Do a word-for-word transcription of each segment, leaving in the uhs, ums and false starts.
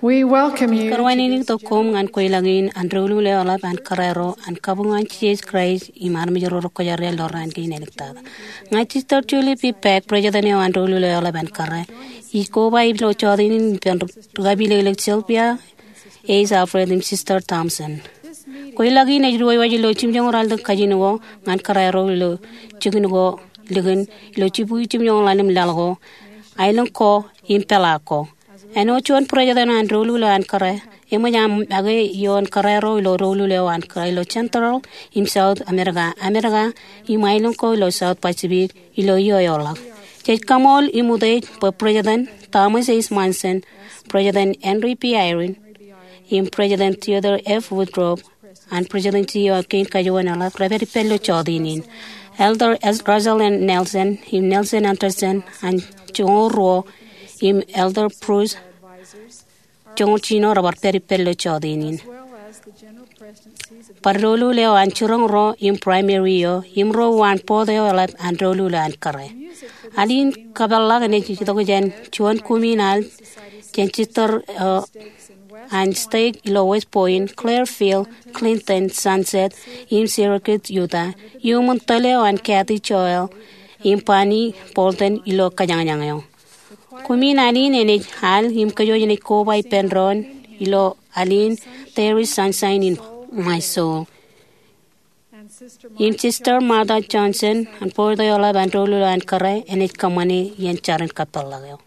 We welcome you to this Kōrā in tok koṃ ñan kweilọk in an doulul eoḷap an kōrā ro an kabuñ an Jisōs Kraist im armej ro rekwōjarjar ilo raan kein āliktata. Ña Sister Julie P. Paik, President eo an doulul eoḷap an kōrā, ij koba ilo jọteen in ippān ri-, rikaki ilelek Sylvia H. Alfred im Sister Thompson. Kweilọk in ej diwōjwōj ilo jimjuonñoul ralitōk kajin ko ñan kōrā ro ilo jikin ko likin ilo jibukwi jimjuonñoul ḷalem laḷ ko, aelōñ ko im peḷaak ko. Āinwōt juon President an doulul eo an kōrā, eṃōj aṃ make ioon kōrā ro ilo doulul eo an kōrā ilo Central im South America, America im aelōñ ko ilo South Pacific ilo iiō eo ḷọk. Jej kaṃool im utiej bwe President Thomas S. Monson, President Henry B. Eyring, im President Theodore F. Woodruff, an Presidency eo kein kajuon eḷap, rej pād ippān ilo jọteen in. Elder S-, Russell M. Nelson, im Nelson Andersen, an joñoul ruo, im Elder Bruce, joñoul jiljino, rebar pād ippān ilo jọteen in. Bar doulul eo an jiroñ ro, im primary eo, im ro uwaan board eo eḷap an doulul eo an kōrā. Al in kapeḷḷọk enaaj itok jān juon kumin al jān sister, uh, an stake ilo West Point, Clearfield, Clinton, Sunset, im Syracuse, Utah, iuṃwin tōl eo an Kathy Joel im Bonnie Bolton ilo kōjañjañ eo. Kumin al in enaaj al im kōj wōj enaaj koba ippān doon ilo al in There is Sunshine in My Soul. Im Sister Martha Johnson, an board eo eḷap an doulul eo an kōrā, enaaj kōṃṃane iien jarin kapeḷḷọk eo.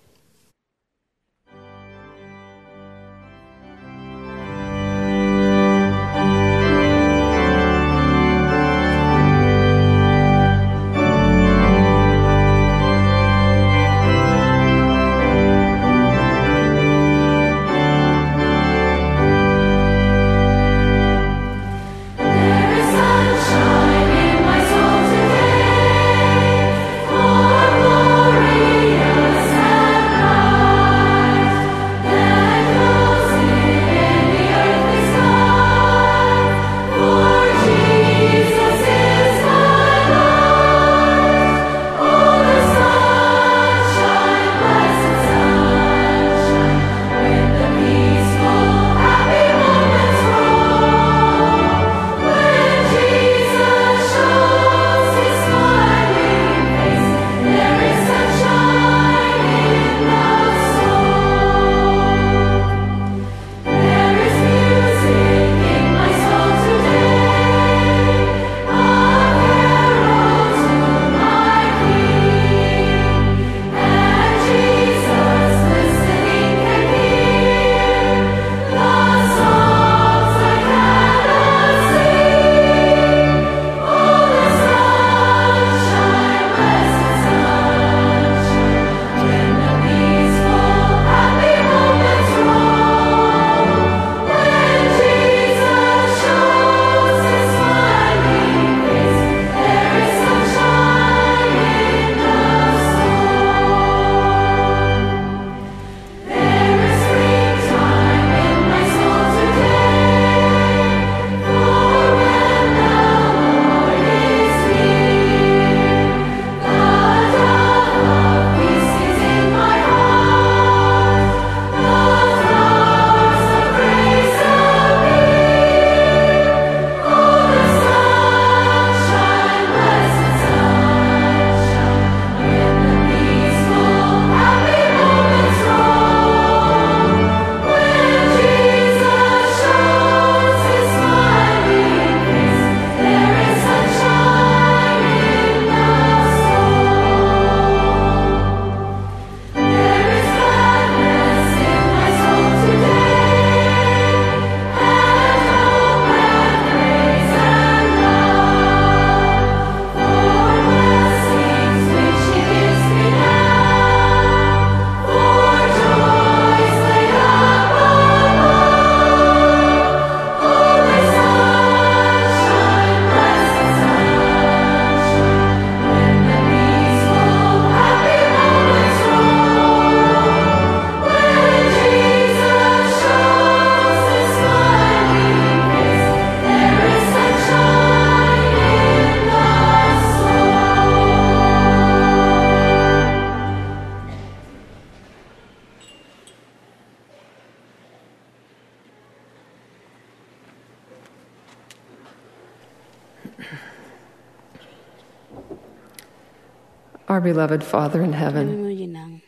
Our beloved Father in heaven, Eo ej ṃōj in aṃ.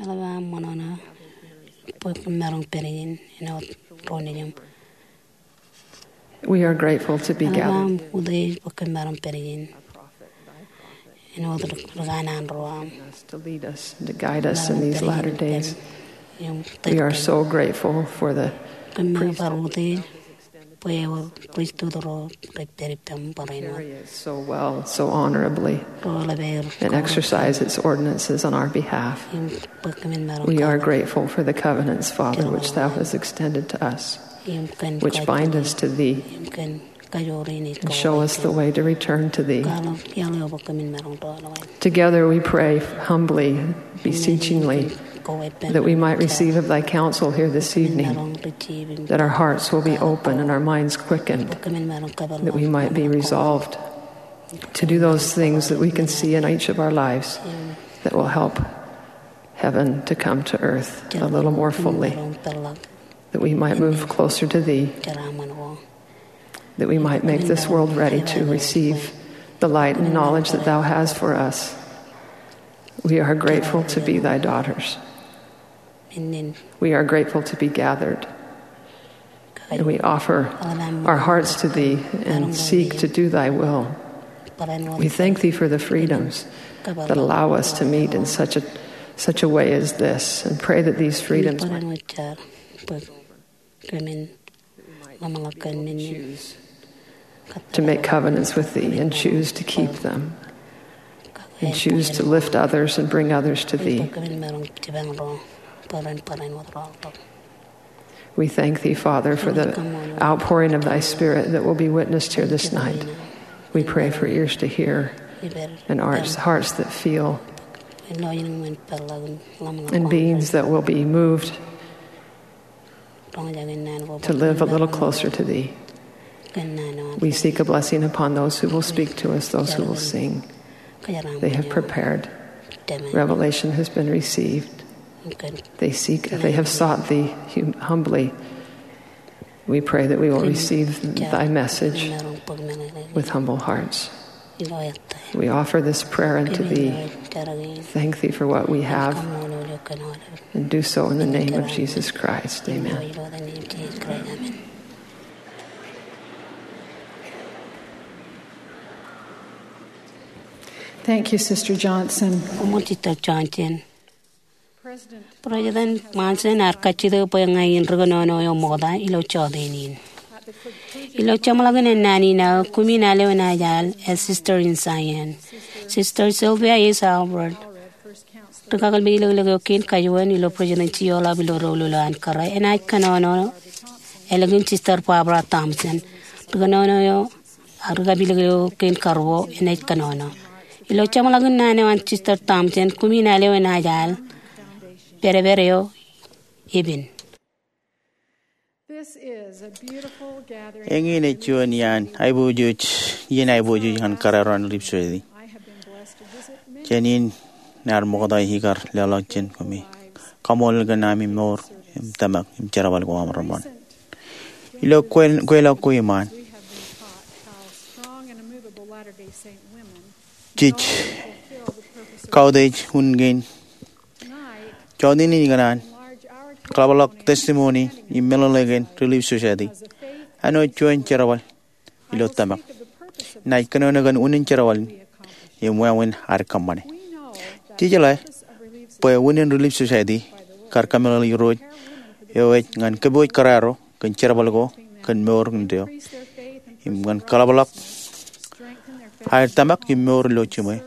Eḷap aṃ ṃōṇōṇō bwe kwōn maroñ pād ijin āinwōt ro nejiṃ. We are grateful to be gathered. Eḷap aṃ utiej bwe kwōn maroñ pād ijin āinwōt ri-, rikān an ro aṃ. To lead us, to guide us in these latter days. We are so grateful for the priesthood. Kwōn maroñ bar utiej bwe ewōr priesthood ro rej pād ippaṃ barāinwōt. Carry it so well, so honorably, and exercise its ordinances on our behalf. We are grateful for the covenants, Father, which thou hast extended to us, which bind us to thee and show us the way to return to thee. Together we pray humbly, beseechingly, that we might receive of thy counsel here this evening, that our hearts will be open and our minds quickened, that we might be resolved to do those things that we can see in each of our lives that will help heaven to come to earth a little more fully, that we might move closer to thee, that we might make this world ready to receive the light and knowledge that thou hast for us. We are grateful to be thy daughters. We are grateful to be gathered. And we offer our hearts to thee and seek to do thy will. We thank thee for the freedoms that allow us to meet in such a, such a way as this, and pray that these freedoms might to make covenants with thee and choose to keep them, and choose to lift others and bring others to thee. We thank thee, Father, for the outpouring of thy Spirit that will be witnessed here this night. We pray for ears to hear and hearts, hearts that feel and beings that will be moved to live a little closer to thee. We seek a blessing upon those who will speak to us, those who will sing. They have prepared. Revelation has been received. They seek, they have sought thee hum-, humbly. We pray that we will receive thy message with humble hearts. We offer this prayer unto thee. Thank thee for what we have, and do so in the name of Jesus Christ. Amen. Thank you, Sister Johnson. Koṃṃool, Sister Johnson. President Monson ear kajjitōk bwe ña in ri kōnono eo ṃokta ilo jọteen in. Ilo jeṃḷọkin ennaan in aō, kumi in al eo enaaj al, ej Sister in Zion. Sister Sylvia S. Allred, ri kakōlmej ilōkḷọk eo kein kajuon ilo Presidency eo eḷap ilo doulul eo an kōrā, enaaj kōnono ālikin Sister Barbara Thompson, ri kōnono eo, ak ri kapilōk eo kein karuo, enaaj kōnono. Ilo jeṃḷọkin naan eo an Sister Thompson, kumi in al eo enaaj al, pedped eo epen. Eñin ej juon iaan aiboojoj, iien aiboojoj ñan kōrā ro an Relief Society. Jān in ear ṃokta ikar leḷọk jān kumi. Kaṃṃoolol kōn ami mour im tōmak im jerbal ko aṃ reṃṃan. Ilo kwe-, kweilọk ko iṃaan, jej kautiej un kein jọteen in ikōṇaan kaḷapḷọk testimony im meḷeḷe kōn Relief Society āinwōt juon jerbal ilo tōmak. Inaaj kōnono kōn unin jerbal in im wāween ad kōṃṃane. Jej jeḷā bwe unin Relief Society kar kōmeḷeḷe Irooj eo ej ñan kōpooj kōrā ro kōn jerbal ko kōn mour eo im ñan kaḷapḷọk aer tōmak im mour ilo jiṃwe.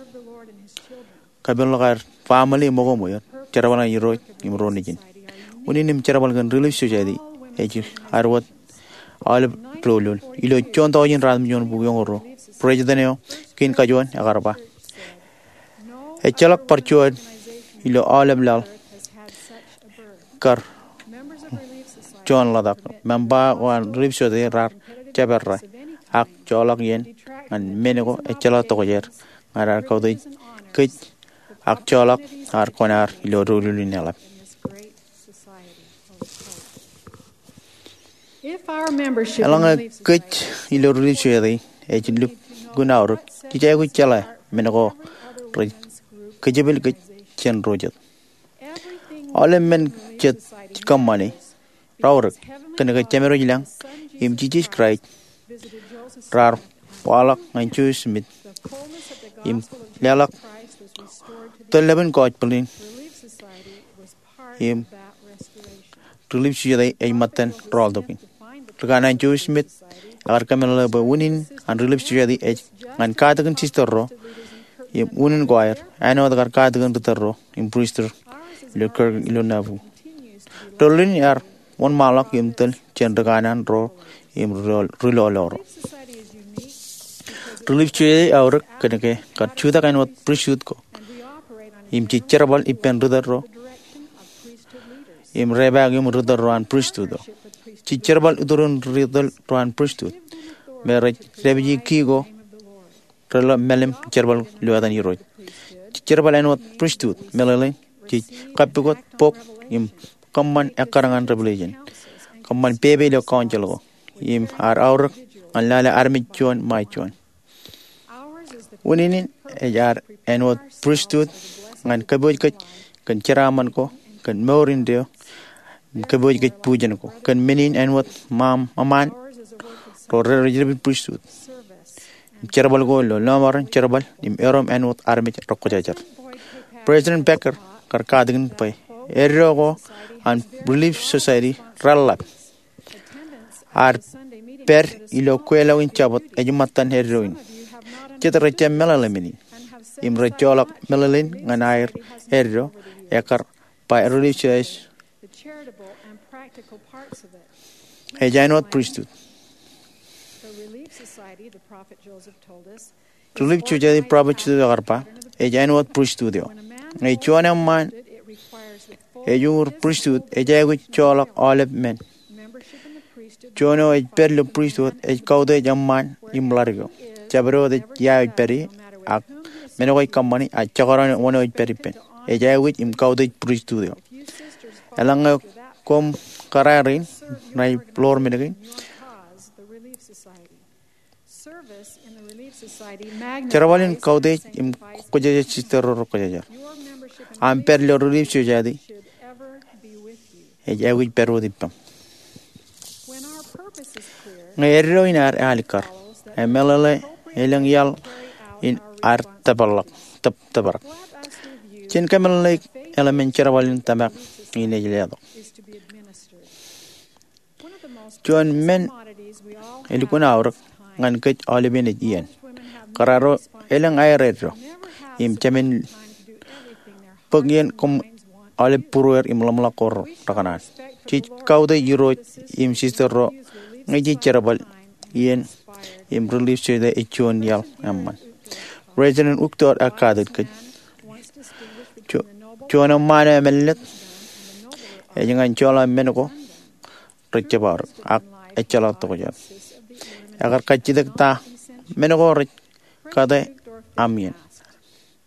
Kapeḷḷọk aer family im ṃōko ṃweer, jerbal ñan Irooj im ro nejin. Unin im jerbal kōn Relief Society ej ad wōt aolep doulul. Ilo juon tọujin ratimjuon bukwi eoon ruo, President eo kein kajuon ekar ba, ejjeḷọk bar juon ilo aolep laḷ kar juon ḷotak. Member ko an Relief Society raar jepera ak joḷọk iien ñan men ko ejjeḷọk tokjāer ñan ad kautiej kōj ak joḷọk ad kōṇaan ilo doulul in eḷap. Eḷaññe kōj ilo Relief Society ej lukkuun aorōk, jej aikuj jeḷā men ko rej kōjepel kōj jān ro jet. Aolep men jet kōṃṃane raorōk kōn ke Jemedwōj lañ im Jisōs Kraist raar waḷọk ñan Joseph Smith im leḷọk tōl ḷọk in gospel in im Relief Society ej ṃōttan rọọltok in. Ri kanaan Joseph Smith ekar kōmeḷeḷe bwe unin an Relief Society ej ñan katakin sister ro im unin ko aer āinwōt ekar katakin ri tōl ro im pristut ilo Kirtland ilo Nauvoo. Tōl in ear wōnṃaanḷọk im tōl jān ri kanaan ro im ri lọlọro. Relief Society eaorōk kōn ke kar jutak āinwōt pristut ko im jej jerbal ippān ri tōl ro im repaak im ri tōl ro an pristut eo. Jej jerbal iturin ri tōl ro an pristut me rej dāpiji ki ko reḷḷap meḷeḷe im jerbal ilo etan Irooj. Jej jerbal āinwōt pristut meḷeḷein jej kappukot bok im kōṃṃan ekkar ñan Revelation, kōṃṃan pepe ilo council ko im ad aorōk ñan lale armej juon ṃae juon. Unin in ej ad āinwōt pristut ñan kōpooj kōj kōn jeraaṃṃan ko, kōn mour indeeo, im kōpooj kōj bujen ko kōn men in āinwōt ṃaṃ, ṃaṃan ro rej dāpij pristut im jerbal ko ilo lọmọọren jerbal im erom āinwōt armej rekwōjarjar. President Packer kar katakin bwe eddo ko an Relief Society reḷḷap ad pād ilo kweilọk in Jabōt ej ṃōttan eddo in. Jet rej jab meḷeḷe men in im rej joḷọk meḷeḷein ñan aer eddo ekkar ba Relief Society ej āinwōt pristut. Relief Society, prophet Joseph ekar ba, ej āinwōt pristut eo. Ñe juon eṃṃaan ej uñūr pristut, ej aikuj joḷọk aolep men. Juon eo ej pād ilo pristut ej kautiej eṃṃaan im ḷadik eo. Jabdewōt ej ia eo ej pād ie, ak men ko ej kōṃṃani, ak jekdọọn wōn eo ej pād ippān, ej aikuj im kautiej pristut eo. Eḷaññe koṃ kōrā rein, ṇa ij ḷoor men kein. Jerbal in kautiej im kwōjarjar sister ro rekwōjarjar. Aṃ pād ilo Relief Society ej aikuj pād wōt ippaṃ. Ñe eddo in ad alikkar, e meḷeḷe elōñ iaḷ in ad tōprak, tōp-, tōprak. Jen kōmeḷeḷeik eḷmen jerbal in tōmak in ej letok. Juon men elukkuun aorōk ñan kōj aolepen ej iien. Kōrā ro elōñ aer eddo im jāmin bōk iien koṃ aolep būrueir im ḷōmṇak ko rekōṇaan. Jej kautiej Irooj im sister ro ñe jej jerbal iien im Relief Society ej juon iaḷ eṃṃan. President Uchtdorf ekatōt kōj. Ju-, juon eṃṃaan eo emālōtlōt ej ñan joḷā men ko rej jab aorōk ak ejjeḷọk tokjān. Ekar kajjitōk ta men ko rej kate aṃ iien.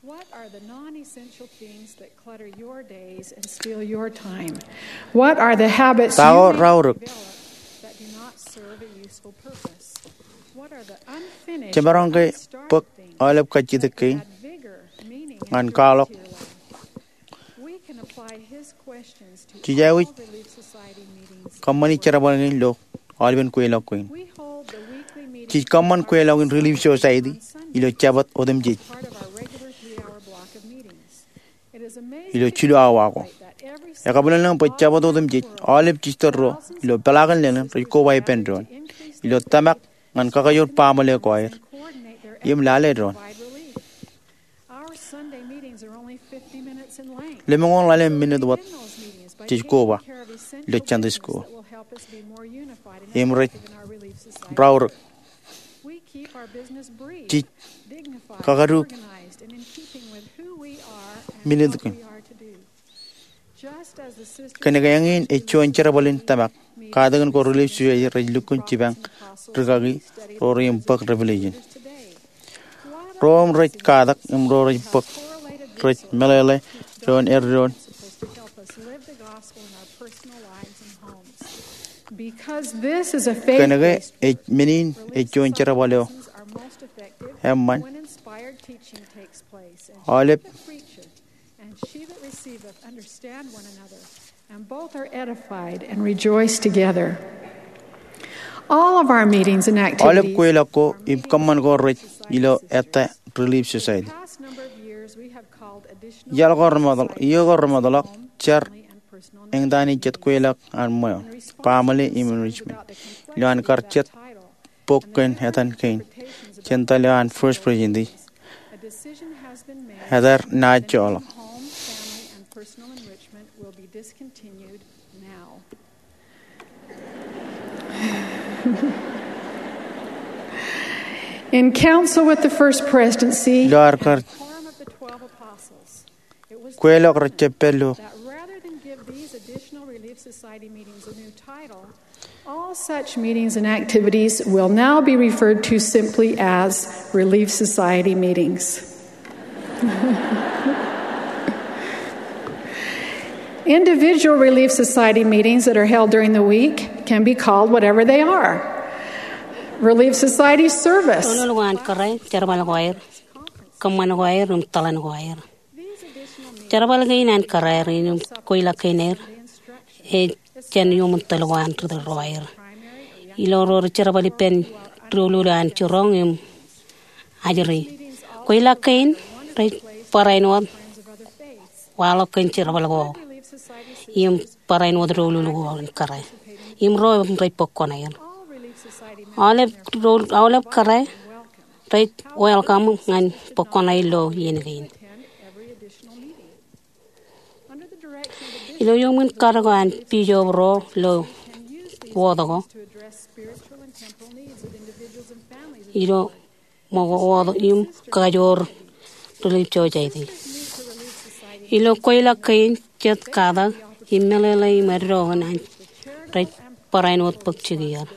What are the non-essential things that clutter your days and steal your time? What are the habits Ta ko raorōk? Jemaroñ ke bōk aolep kajjitōk kein ñan kwaḷọk. Jej aikuj kōṃṃani jerbal kein ilo aolepen kweilọk kein. Jej kōṃṃan kweilọk in Relief Society ilo Jabōt otemjej ilo jilu awa ko. Ekabwilōñlōñ bwe Jabōt otemjej aolep sister ro ilo peḷaakin lōñlōñ rej koba ippān doon ilo tōmak ñan kakajoor baaṃle ko aer im lale doon. Lemñoul ḷalem minit wōt jej koba ilo Sunday school im rej raorōk. Jej kakaduuk minit kein. Kōn ke eñin ej juon jerbal in tōmak, katakin ko Relief Society rej lukkuun jipañ rikaki ro rein bōk Revelation. Ro im rej katak im ro rej bōk rej meḷeḷe doon eddoin. Kōn ke ej men in ej juon jerbal eo eṃṃan, aolep. And she that receiveth understand one another, and both are edified and rejoice together. All of our meetings and activities. Aolep kweilọk ko im kōṃṃan ko rej ilo ettā Relief Society. Past number of years, we have called additional. Iaḷ ko remootḷọk, iiō ko remootḷọk, jar eñtaan in jet kweilọk an ṃweo, family im enrichment. Ilo an kar jet bok kōn etan kein, jen tōl eo an First Presidency. Etar naaj joḷọk. In council with the First Presidency, ilo ad kar kweilọk rej jab pād ilo. That rather than give these additional Relief Society meetings a new title, all such meetings and activities will now be referred to simply as Relief Society meetings. Individual Relief Society meetings that are held during the week can be called whatever they are. Relief Society service. Doulul ko an kōrā, jerbal ko aer, kōṃṃan ko aer, im tōḷan ko aer. Jerbal kein an kōrā er im kweilọk kein er, ej jān iuṃwin tōl ko an ri tōl ro aer. Ilo ro rej jerbal ippān doulul an jiroñ im ajri. Kweilọk kein rej barāinwōt waḷọk kōn jerbal ko im barāinwōt doulul ko an kōrā. Im ro im rej bōk kuṇaer. Aolep doul-, aolep kōrā rej welcome ñan bōk kuṇaer ilo iien kein. Ilo iuṃwin karōk an bijob ro ilo wōt ko, ilo ṃōko wōt im kakajoor Relief Society. Ilo kweilọk kein jet katak im meḷeḷe im eddo kōn an rej barāinwōt bōk jikier.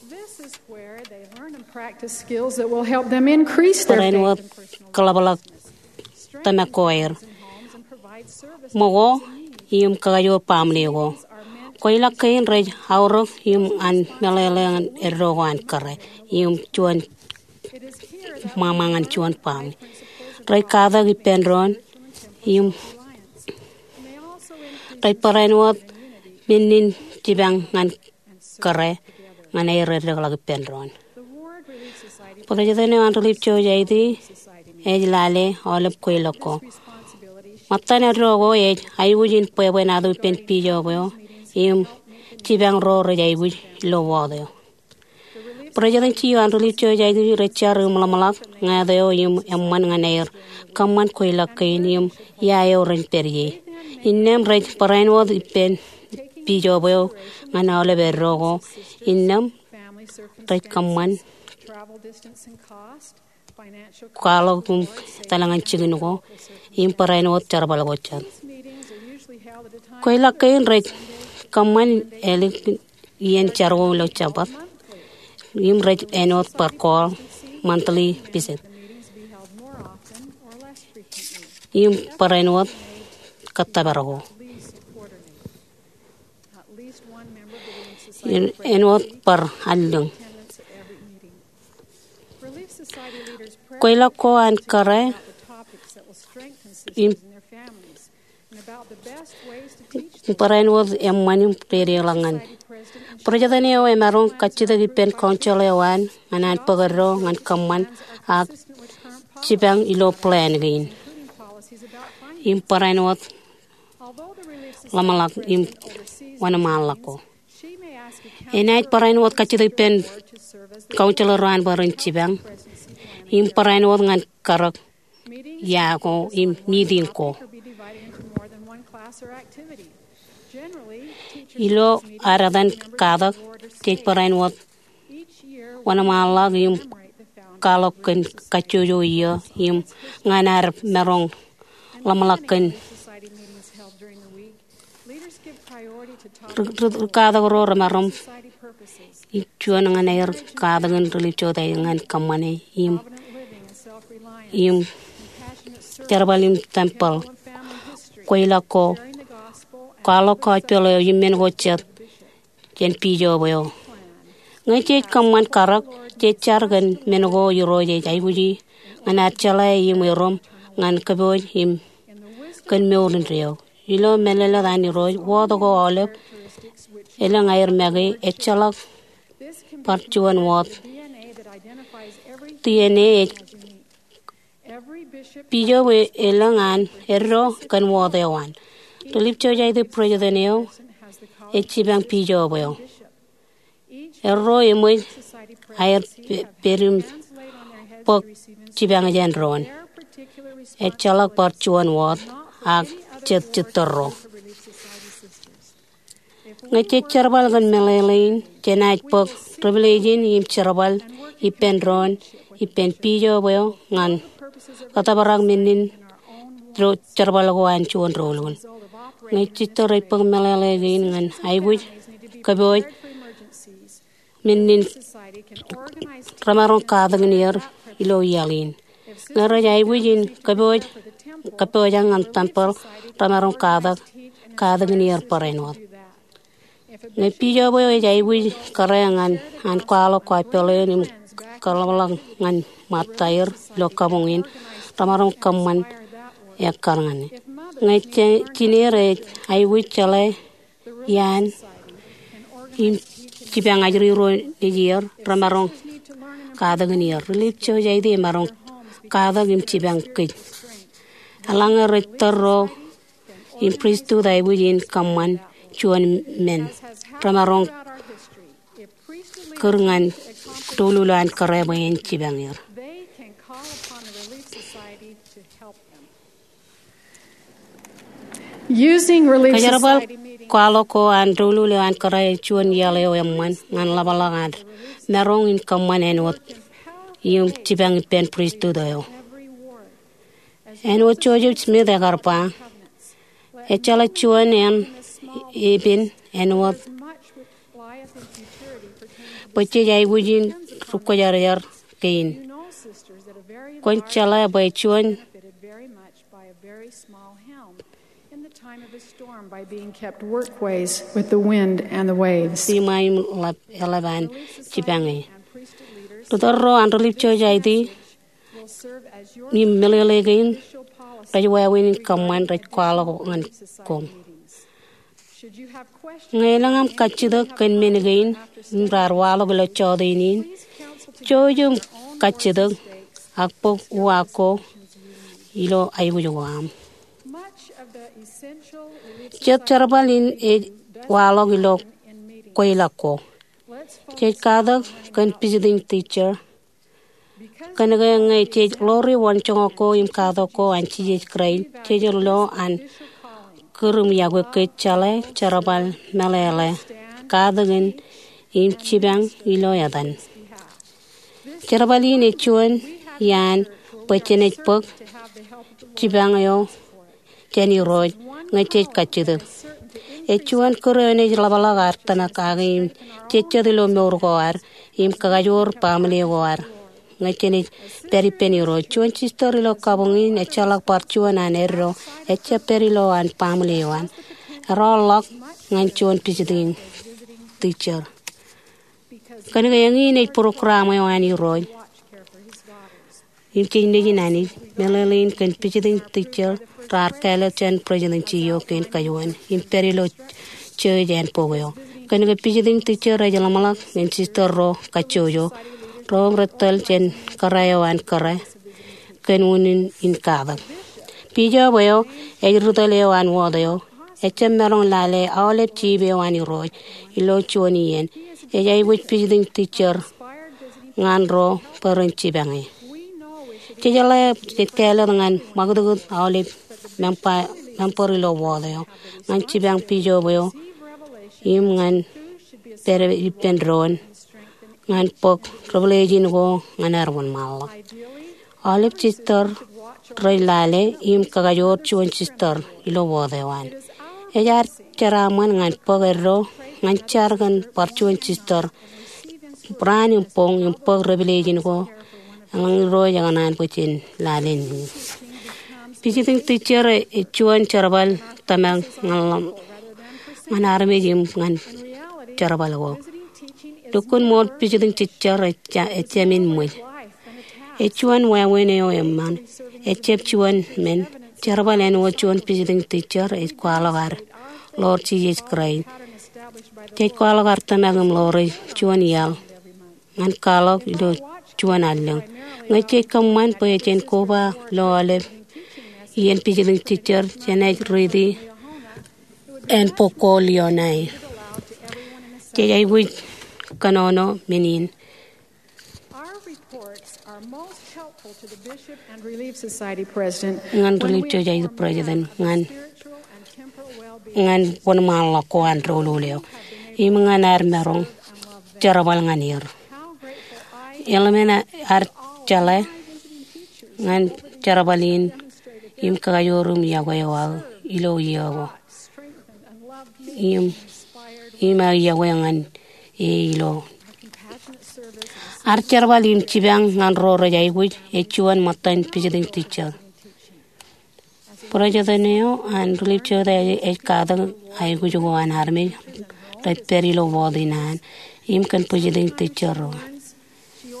This is where they learn and practice skills that will help them increase their faith. Barāinwōt kōḷapḷọk tōmak ko aer, ṃōko im kakajoor baaṃle ko. Kweilọk kein rej aorōk im an meḷeḷe ñan eddo ko an kōrā im juon ṃaṃa ñan juon baaṃle. Rej katak ippān doon im rej barāinwōt men in jipañ ñan kōrā ñan aer eddekḷọk ippān doon. President eo an Relief Society ej lale aolep kweilọk ko. Ṃōttan eddo ko ej aikuj in bwebwenato ippān bijob eo im jipañ ro rej aikuj ilo wōt eo. President eo an Relief Society rej jar im ḷōmṇak ñāāt eo im eṃṃan ñan aer kōṃṃan kweilọk kein im ia eo ren pād ie. Innām rej barāinwōt ippān bijob eo ñan aolep eddo ko. Innām rej kōṃṃan kwaḷọk im etal ñan jikin ko im barāinwōt jerbal ko jet. Kweilọk kein rej kōṃṃan ālikin iien jar ko ilo Jabōt im rej āinwōt bar call monthly visit im barāinwōt kōttōpar ko. Im āinwōt bar allōñ. Kweilọk ko an kōrā im barāinwōt eṃṃan im dedeḷọk ñan. President eo emaroñ kajjitōk ippān council eo an ñan an bōk eddo ñan kōṃṃan ak jipañ ilo plan kein im barāinwōt ḷōmṇak im wōnṃaanḷọk ko. Enaaj barāinwōt kajjitōk ippān council ro an bwe ren jipañ im barāinwōt ñan karōk ia ko im meeting ko. Ilo ad etan katak jej barāinwōt wōnṃaanḷọk im kwaḷọk kōn kajjojo iiō im ñan ad maroñ ḷōmṇak kōn ri, ri, ri katak ro remaroñ im juon ñan aer katak in Relief Society ñan kōṃṃane im, im jerbal im tempeḷ kweilọk ko, kwaḷọk gospel eo im men ko jet jān bijob eo. Ñe jej kōṃṃan karōk, jej jar kōn men ko Irooj ej aikuji ñan ad jeḷā im erom ñan kōpooj im kōn mour indeeo. Ilo mālōtlōt an Irooj, wōt ko aolep elōñ aer make ejjeḷọk bar juon wōt. D N A ej pijob elōñ an eddo kōn wōt eo an. Rilip Society president eo ej jipañ pijob eo. Erro eṃōj aer pe-, pād im bōk jipañ jān doon. Ejjeḷọk bar juon wōt ak jet jitōrro. Ñe jej jerbal kōn meḷeḷe in, jenaaj bōk revelation im jerbal ippān doon, ippān pijob eo ñan kōttōprak men in ro-, jerbal ko an juon doulul. Ñe jistōr ej bōk meḷeḷe kein ñan aikuj kōpooj men in, remaroñ katakin er ilo iaḷ in. Ñe rej aikuj in kōpooj, kōpooj ñan tempeḷ, remaroñ katak, katakin er barāinwōt. Ñe pijob eo ej aikuj kōrā ñan an kwaḷọk kwaḷọk peḷein im kaḷapḷọk ñan ṃōttaer ilo kabuñ in, remaroñ kōṃṃan ekkar ñan e. Ñe je-, jineer ej aikuj jeḷā iaan im jipañ ajri ro nejier, remaroñ katakin er. Rilip Society emaroñ katak im jipañ kōj. Eḷaññe rej tōl ro im pristut aikuj in kōṃṃan juon men, remaroñ kūr ñan doulul eo an kōrā bwe en jipañ er. Using Relief Kōjerbal Society meeting kwaḷọk ko an doulul eo an kōrā ej juon iaḷ eo eṃṃan ñan ḷapḷọk an maroñ in kōṃṃan āinwōt im jipañ ippān pristut eo. Āinwōt Joseph Smith ekar ba, ejjeḷọk juon eṇ epen āinwōt bwe jej aikuj in ri-kwōjarjar kein. Kwōn jeḷā bwe juon With the wind and the waves. Siṃa im ḷap, eḷap an jipañ e. Ri tōl ro an Rilip Society im meḷeḷe kein rej wāween in kōṃṃan rej kwaḷọk ñan koṃ. Ñe elōñ aṃ kajjitōk kōn men kein im raar waḷọk ilo jota in, jouj im kajjitōk ak bōk uwaak ko ilo aikuj ko aṃ. Jet jerbal in ej waḷọk ilo kweilọk ko. Jej katak kōn visiting teacher. Kōnke ñe jej ḷoori wōnjoñak ko im katak ko an Jisōs Kraist, jej lo an kūr im iọkwe kōj jeḷā jerbal meḷeḷe, katakin im jipañ ilo etan. Jerbal in ej juon iaan bwe jenaaj bōk jipañ eo jān Irooj ñe jej kajjitōk. Ej juon kūr eo enaaj ḷapḷọk ad tōmak kake im jejjet ilo mour ko ad im kakajoor baaṃle ko ad ñe jenaaj pād ippān Irooj. Juon jistōr ilo kabuñ in ejjeḷọk bar juon an eddo, ejjab pād ilo an baaṃle eo an. Eroḷọk ñan juon visiting teacher. Kōnke eñin ej program eo an Irooj im jej nejin Anij, meḷeḷein kōn visiting teacher raar kāālōt jān presidency eo kein kajuon im pād ilo church ānbōk eo. Kōnke visiting teacher ej ḷōmṇak ñan jistōr ro kajjojo, ro rej tōl jān kōrā eo an kōrā kōn unin in katak. Bishop eo ej ri tōl eo an wōt eo, ejjab maroñ lale aolep chief eo an Irooj ilo juon iien. Ej aikuj visiting teacher ñan ro bwe ren jipañ e. Jejeḷā jej kāālōt ñan ṃakūtkūt aolep member, member ilo wōt eo ñan jipañ bishop eo im ñan pād ippān doon ñan bōk revelation ko ñan ad wōnṃaanḷọk. Aolep jistōr rej lale im kakajoor juon jistōr ilo wōt eo an. Ej ad jeraaṃṃan ñan bōk eddo ñan jar kōn bar juon jistōr raan im boñ im bōk revelation ko eḷaññe Irooj ekōṇaan bwe jen lale ñan e. Visiting teacher ej juon jerbal tōmak ñan ḷō-, ñan armej im ñan jerbal ko. Lukkuun ṃool visiting teacher ej ja-, ejjab men ṃōj. Ej juon wāween eo eṃṃan. Ejjab juon men. Jerbal āinwōt juon visiting teacher ej kwaḷọk ad ḷoor Jisōs Kraist. Jej kwaḷọk ad tōmak im ḷoor ej juon iaḷ ñan kwaḷọk ilo juon allōñ. Ñe jej kōṃṃan bwe jen koba ilo aolep iien visiting teacher, jenaaj riiti ānbōk goal eo ṇae. Jej aikuj kōnono men in. Ñan Relief Society president, ñan wōnṃaanḷọk ko an doulul eo im ñan ad maroñ jerbal ñan er. Eḷmen ad jeḷā ñan jerbal in im kakajoor im yokwe eo aō ilo iiō ko im, im aō yokwe ñan e ilo ad jerbal im jipañ ñan ro rej aikuj ej juon ṃōttan visiting teacher. President eo an Relief Society ej katak aikuj ko an armej rej pād ilo wōt in an im kōn visiting teacher ro.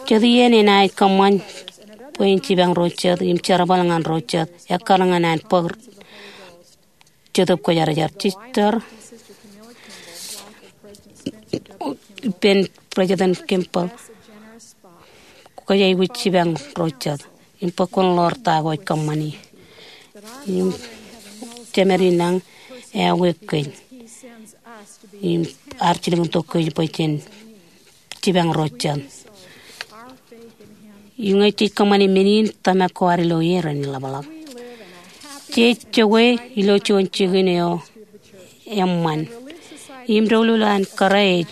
Jet iien enaaj kōṃṃan bwe en jipañ ro jet im jerbal ñan ro jet, ekkar ñan an bōk Jetōb Kwōjarjar, Sister ippān President Kimball, kwōj aikuj jipañ ro jet im bōk kōn ḷoor ta ko ej kōṃṃani. Im jemed in nañ ewōr kōj im ear jilkintok kōj bwe jen jipañ ro jet. Im ñe jej kōṃṃani men in, tōmak ko ad ilo e ren iḷapḷọk. Jej jokwe ilo juon jikin eo eṃṃan im doulul an kōrā ej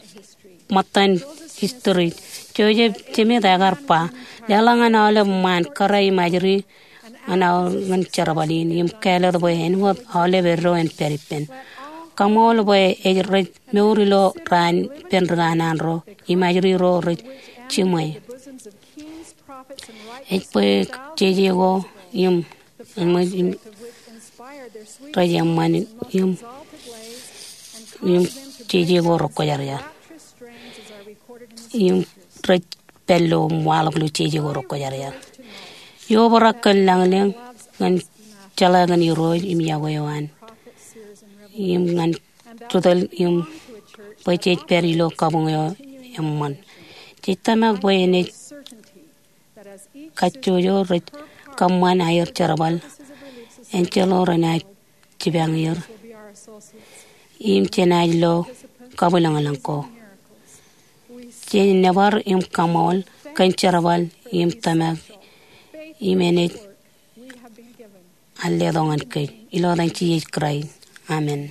ṃōttan history. Joseph Smith ekar ba, leḷọk ñan aolep ṃaan kōrā im ajri ñan aolep ñan jerbal in im kāālōt bwe āinwōt aolep eddo en pād ippān. Kaṃool bwe ej rej mour ilo raan ippān ri kanaan ro im ajri ro rej jiṃwe. Ej bwe jeje ko im, im, im rej eṃṃan im, im jeje ko rekwōjarjar. Im rej pād ilo im waḷọk ilo jeje ko rekwōjarjar. Eo obrak kōn lañlōñ ñan jeḷā kōn Irooj im yokwe eo an im ñan ri tōl im bwe jej pād ilo kabuñ eo eṃṃan. Jej tōmak bwe enaaj kajjojo rej kōṃṃan aer jerbal, enjeḷ ro renaaj jipañ er im jenaaj lo kabwilōñlōñ ko. Jej nōbar im kaṃool kōn jerbal im tōmak im enaaj al letok ñan kōj. Ilo etan Jisōs Kraist, amen.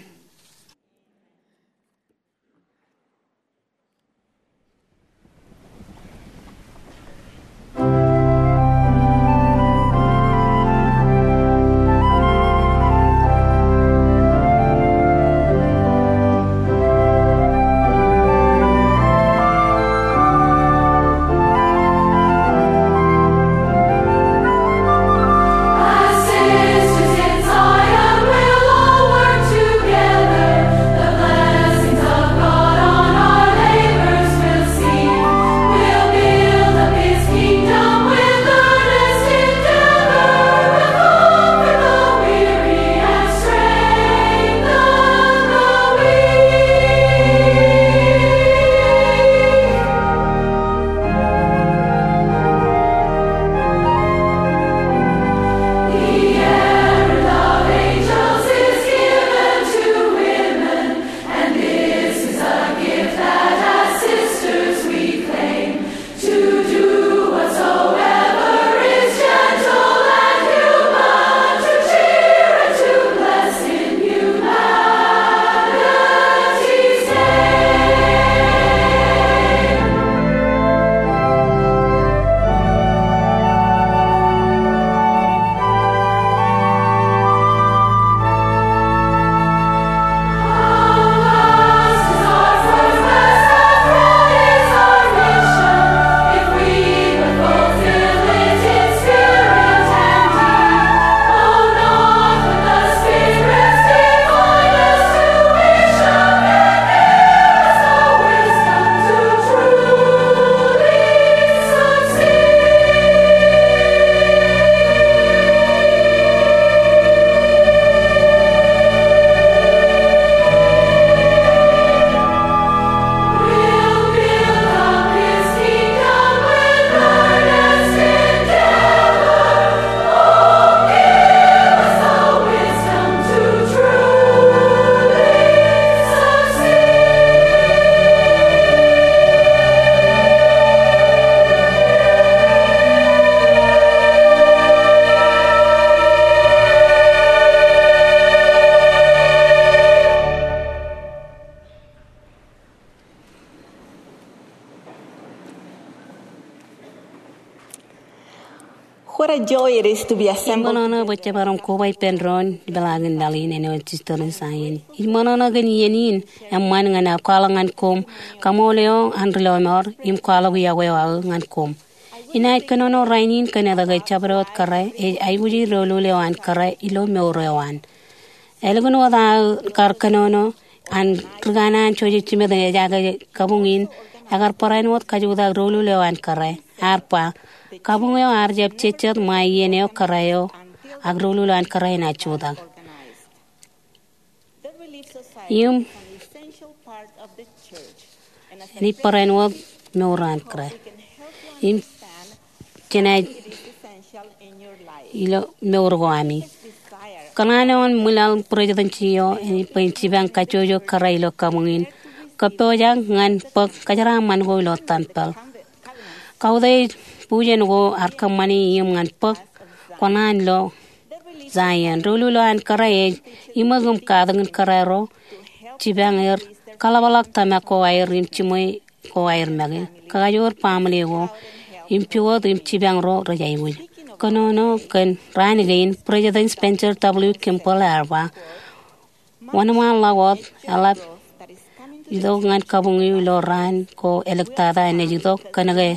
What a joy it is to be assembled. Ṃōṇōṇō bwe jemaroñ koba ippān doon ipeḷaakin laḷ in āinwōt Sister in Zion. Ij ṃōṇōṇō kōn iien in eṃṃan ñan aō kwaḷọk ñan koṃ kaṃool eo an ri lọmọọr im kwaḷọk yokwe eo aō ñan koṃ. Inaaj kōnono rainin kōn etke jabdewōt kōrā ej aikuji doulul eo an kōrā ilo mour eo an. Ālikin wōt aō kar kōnono an ri kanaan Joseph Smith in ejaake kabuñ in, ekar barāinwōt kajutak doulul eo an kōrā. Ear ba, kabuñ eo ear jab jejjet ṃae iien eo kōrā eo ak doulul eo an kōrā enaaj jutak. Im enaaj barāinwōt mour eo an kōrā. Im jenaaj ilo mour ko ami. Kōṇaan eo an ṃwilaḷ Presidency eo enaaj bwe in jipañ kajjojo kōrā ilo kabuñ in. Kōppojak ñan bōk kōjeraaṃṃan ko ilo tempel. Kautiej bujen ko ear kōṃṃani im ñan bōk kōṇaan lo Zion. Doulul eo an kōrā ej iṃōk im katakin kōrā ro, jipañ er, kaḷapḷọk tōmak ko aer im jiṃwe ko aer make, kakajoor baaṃle ko, im pukot im jipañ ro rej aikuj. Kōnono kōn raan kein, President Spencer W. Kimball ear ba, wōnṃaanḷọk wōt eḷap itok ñan kabuñ eō ilo raan ko āliktata enaaj itok, kōnke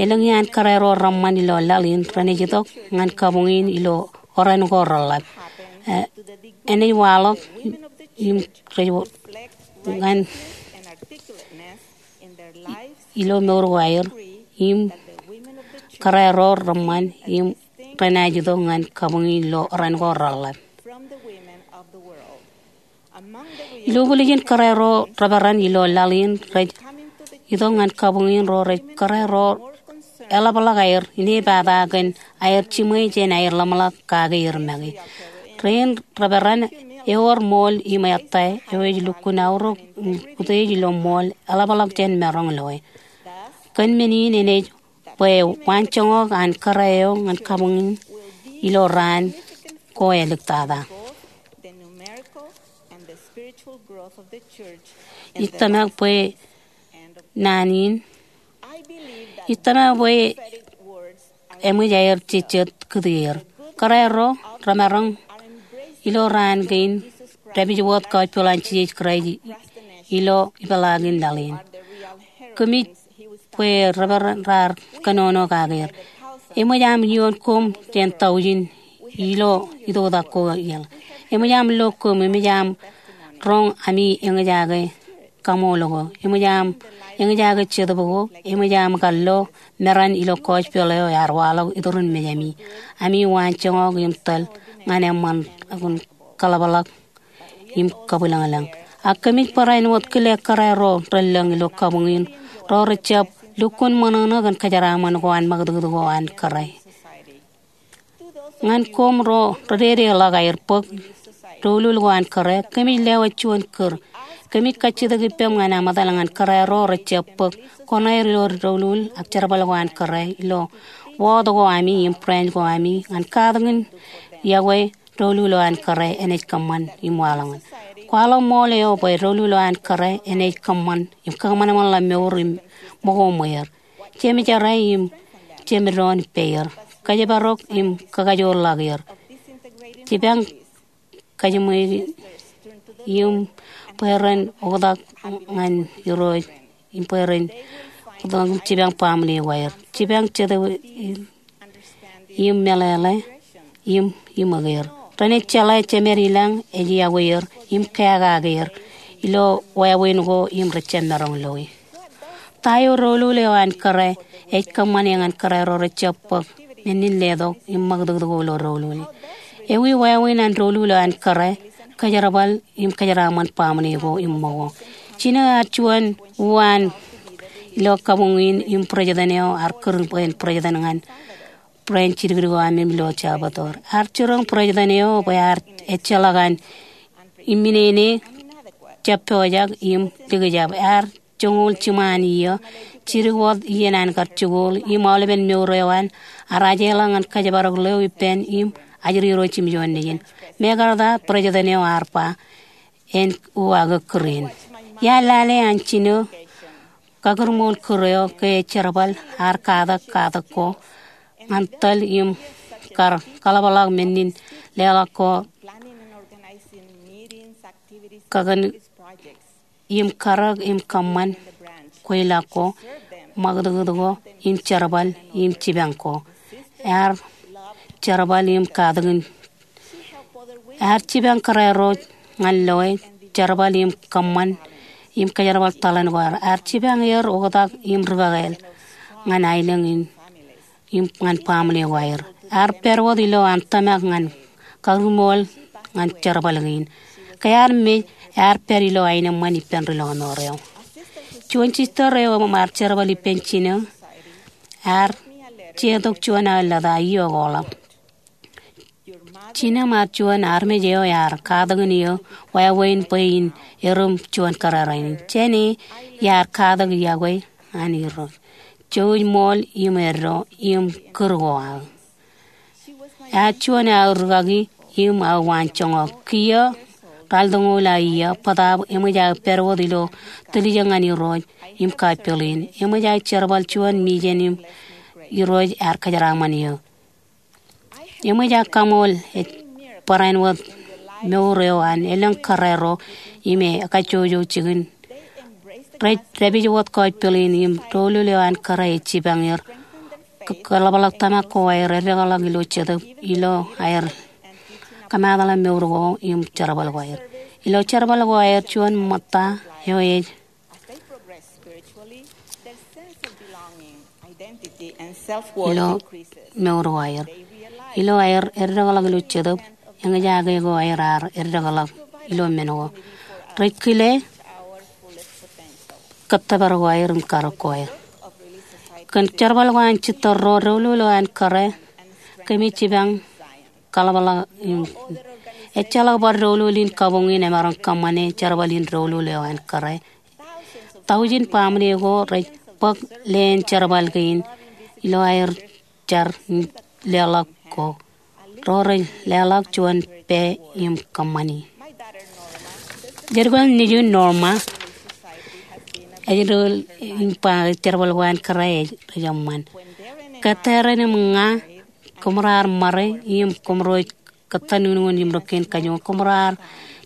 elōñ iaan kōrā ro reṃṃan ilo laḷ in renaaj itok ñan kabuñ in ilo oran ko reḷap. E, enaaj waḷọk im rej ñan ilo mour ko aer im kōrā ro reṃṃan im renaaj itok ñan kabuñ in ilo oran ko reḷap. Ilo ijin kōrā ro reperan ilo laḷ in rej itok ñan kabuñ in ro rej kōrā ro eḷapḷọk aer inepata kōn aer jiṃwe jān aer ḷōmṇak kake er make. Rein reperan ewōr ṃool im ettā eo ej lukkuun aorōk im utiej ilo ṃool eḷapḷọk jān maroñ loe. Kōn men in enaaj bwe waanjoñak an kōrā eo ñan kabuñ in ilo raan ko āliktata. Ij tōmak bwe naan in, ij tōmak bwe eṃōj aer jejjet kūtierro. Kōrā ro remaroñ ilo raan kein dāpij wōt gospel an Jisōs Kraist ilo ipeḷaakin laḷ in. Kōmij bwe reperan raar kōnono kake er. Eṃōj aṃ iioon koṃ jān taujin ilo itoitak ko iaḷ. Eṃōj aṃ lo koṃ, eṃōj aṃ roñ ami eñjake kaṃool ko, eṃōj aṃ eñjake jetōb ko, eṃōj aṃ kar lo meran ilo gospel eo ear waḷọk iturin mejāmi. Ami waanjoñak im tōl ñan eṃṃan kōn kaḷapḷọk im kabwilōñlōñ. Ak kōmij barāinwōt kile kōrā ro relōñ ilo kabuñ in ro rejjab lukkuun ṃōṇōṇō kōn kōjeraaṃṃan ko an ṃakūtkūt ko an kōrā. Ñan koṃ ro rededeḷọk aer bōk doulul ko an kōrā, kōmij lewōj juon kūr. Kōmij kajjitōk ippaṃ ñan eṃōtaḷ ñan kōrā ro rejjab bōk koṇaer ilo doulul ak jerbal ko an kōrā ilo wōt ko ami im branch ko ami ñan katakin yokwe doulul eo an kōrā enaaj kōṃṃan im waḷọk ñan. Kwaḷọk ṃool eo bwe doulul eo an kōrā enaaj kōṃṃan im kōṃanṃanḷọk mour im ṃōko ṃweer. Jemjerā im jemdoon ippāer. Kōjparok im kōkajoorḷọk er. Jipañ kajiṃwe im bwe ren oktak ñan Irooj im bwe ren oktak im jipañ baaṃle ko aer. Jipañ jetōb im meḷeḷe im iṃōk er. Renaaj jeḷā jemed ilañ ej yokwe er im kakake er ilo wāween ko im rejjab maroñ loe. Ta eo doulul eo an kōrā ej kōṃṃane ñan kōrā ro rejjab bōk men in letok im ṃakūtkūt ko ilo doulul? Ewi wāween an doulul eo an kōrā? Kōjerbal im kōjeraaṃṃan baaṃle ko im ṃōko. Jino ear juon uwaan ilo kabuñ in im president eo ear kūr bwe en president ñan branch jidikdik eo aṃ im ilo Salvador. Ear jiroñ president eo bwe ear ejjeḷọk an iminene, jab pojak im likjab. Ear joñoul jiṃaan iiō, jidik wōt iien an kar jikuuḷ, im aolepen mour eo an ear ajeḷọk ñan kōjparok ḷeo ippān im ajri ro jimjuon nejin. Mekarta president eo ear ba, en uwaake kūr in. Iar lale an jino kakūrṃool kūr eo ke jerbal ear katak katak ko ñan tōl im kar kaḷapḷọk men in leḷọk ko, kakōn im karōk im kōṃṃan kweilọk ko, ṃakūtkūt ko, im jerbal im jipañ ko. Ear jerbal im katakin, ear jipañ kōrā ro ñan loe, jerbal im kōṃṃan im kōjerbal tōḷan ko. Ear jipañ er oktak im rikakāāl ñan aelōñ in im ñan baaṃle ko aer. Ear pād wōt ilo an tōmak ñan karuṃool ñan jerbal kein. Ke ear mej, ear pād ilo aenōṃṃan ippān ri lọmọọr eo. Juon sister eo ear jerbal ippān jinō, ear jetok juon aō lōta, iiō koḷap. Jinō im ar juon armej eo ear katakin eō wāween bwe in erom juon kōrā rainin. Jāne iar katak iọkwe an Irooj, jouj ṃool im eddo im kūr ko aō. Ear juon aō rikaki im aō waanjoñak. Kiiō ralitōñoul aō iiō, bōtaab eṃōj aō pād wōt ilo tiljek ñan Irooj im kapiḷ in. Eṃōj aō jerbal juon mijen im Irooj ear kōjeraaṃṃan eō. Eṃōj aō kaṃool ej barāinwōt mour eo an elōñ kōrā ro im ekajjojo jikin. Rej dāpij wōt kapiḷ in im doulul eo an kōrā ej jipañ er. K-, kaḷapḷọk tōmak ko aer, eddekḷọk ilo jetōb, ilo aer kōmaatḷọk mour ko im jerbal ko aer. Ilo jerbal ko aer, juon ṃōtta eo ej ilo mour ko aer. Ilo aer eddekḷọk ilo jetōb, eñjake ko aer ear eddekḷọk ilo men ko. Rej kile kōttōpar ko aer im karōk ko aer. Kōn jerbal ko an sister ro, doulul eo an kōrā, kōmij jipañ kaḷapḷọk im ejjeḷọk bar doulul in kabuñ in emaroñ kōṃṃane jerbal in doulul eo an kōrā. Taujin baaṃle ko rej bōk leen jerbal kein ilo aer jar im leḷọk ko. Ro rej leḷọk juon pā im kōṃṃani. Jerbal nejū Norma, ej doulul in ba jerbal ko an kōrā ej rej eṃṃan. Kōttōpar im ña, kōmro ar ṃare im kōmro ej kōttan unin im rūkkein kajuon. Kōmro ar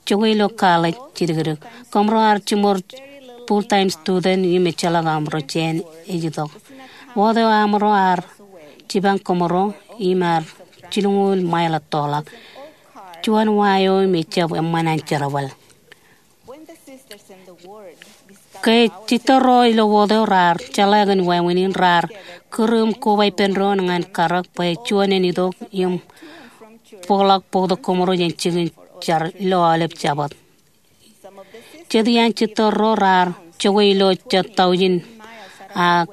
jokwe ilo college jidikdik. Kōmro ar jiṃor full-time student im ejjeḷọk aṃro jān ej itok. Wōt eo aṃro ar jipañ kōmro im ear jilñuul mile ettoḷọk. Juon wa eo im ejjab eṃṃan an jerbal. Ke sister ro ilo wōt eo raar jeḷā kōn wāween in, raar kūr im koba ippān doon ñan karōk bwe juon en itok im bōkḷọk bōktok kōmro jān jikin jar ilo aolep Jabōt. Jet iaan sister ro raar jokwe ilo jet taujin ak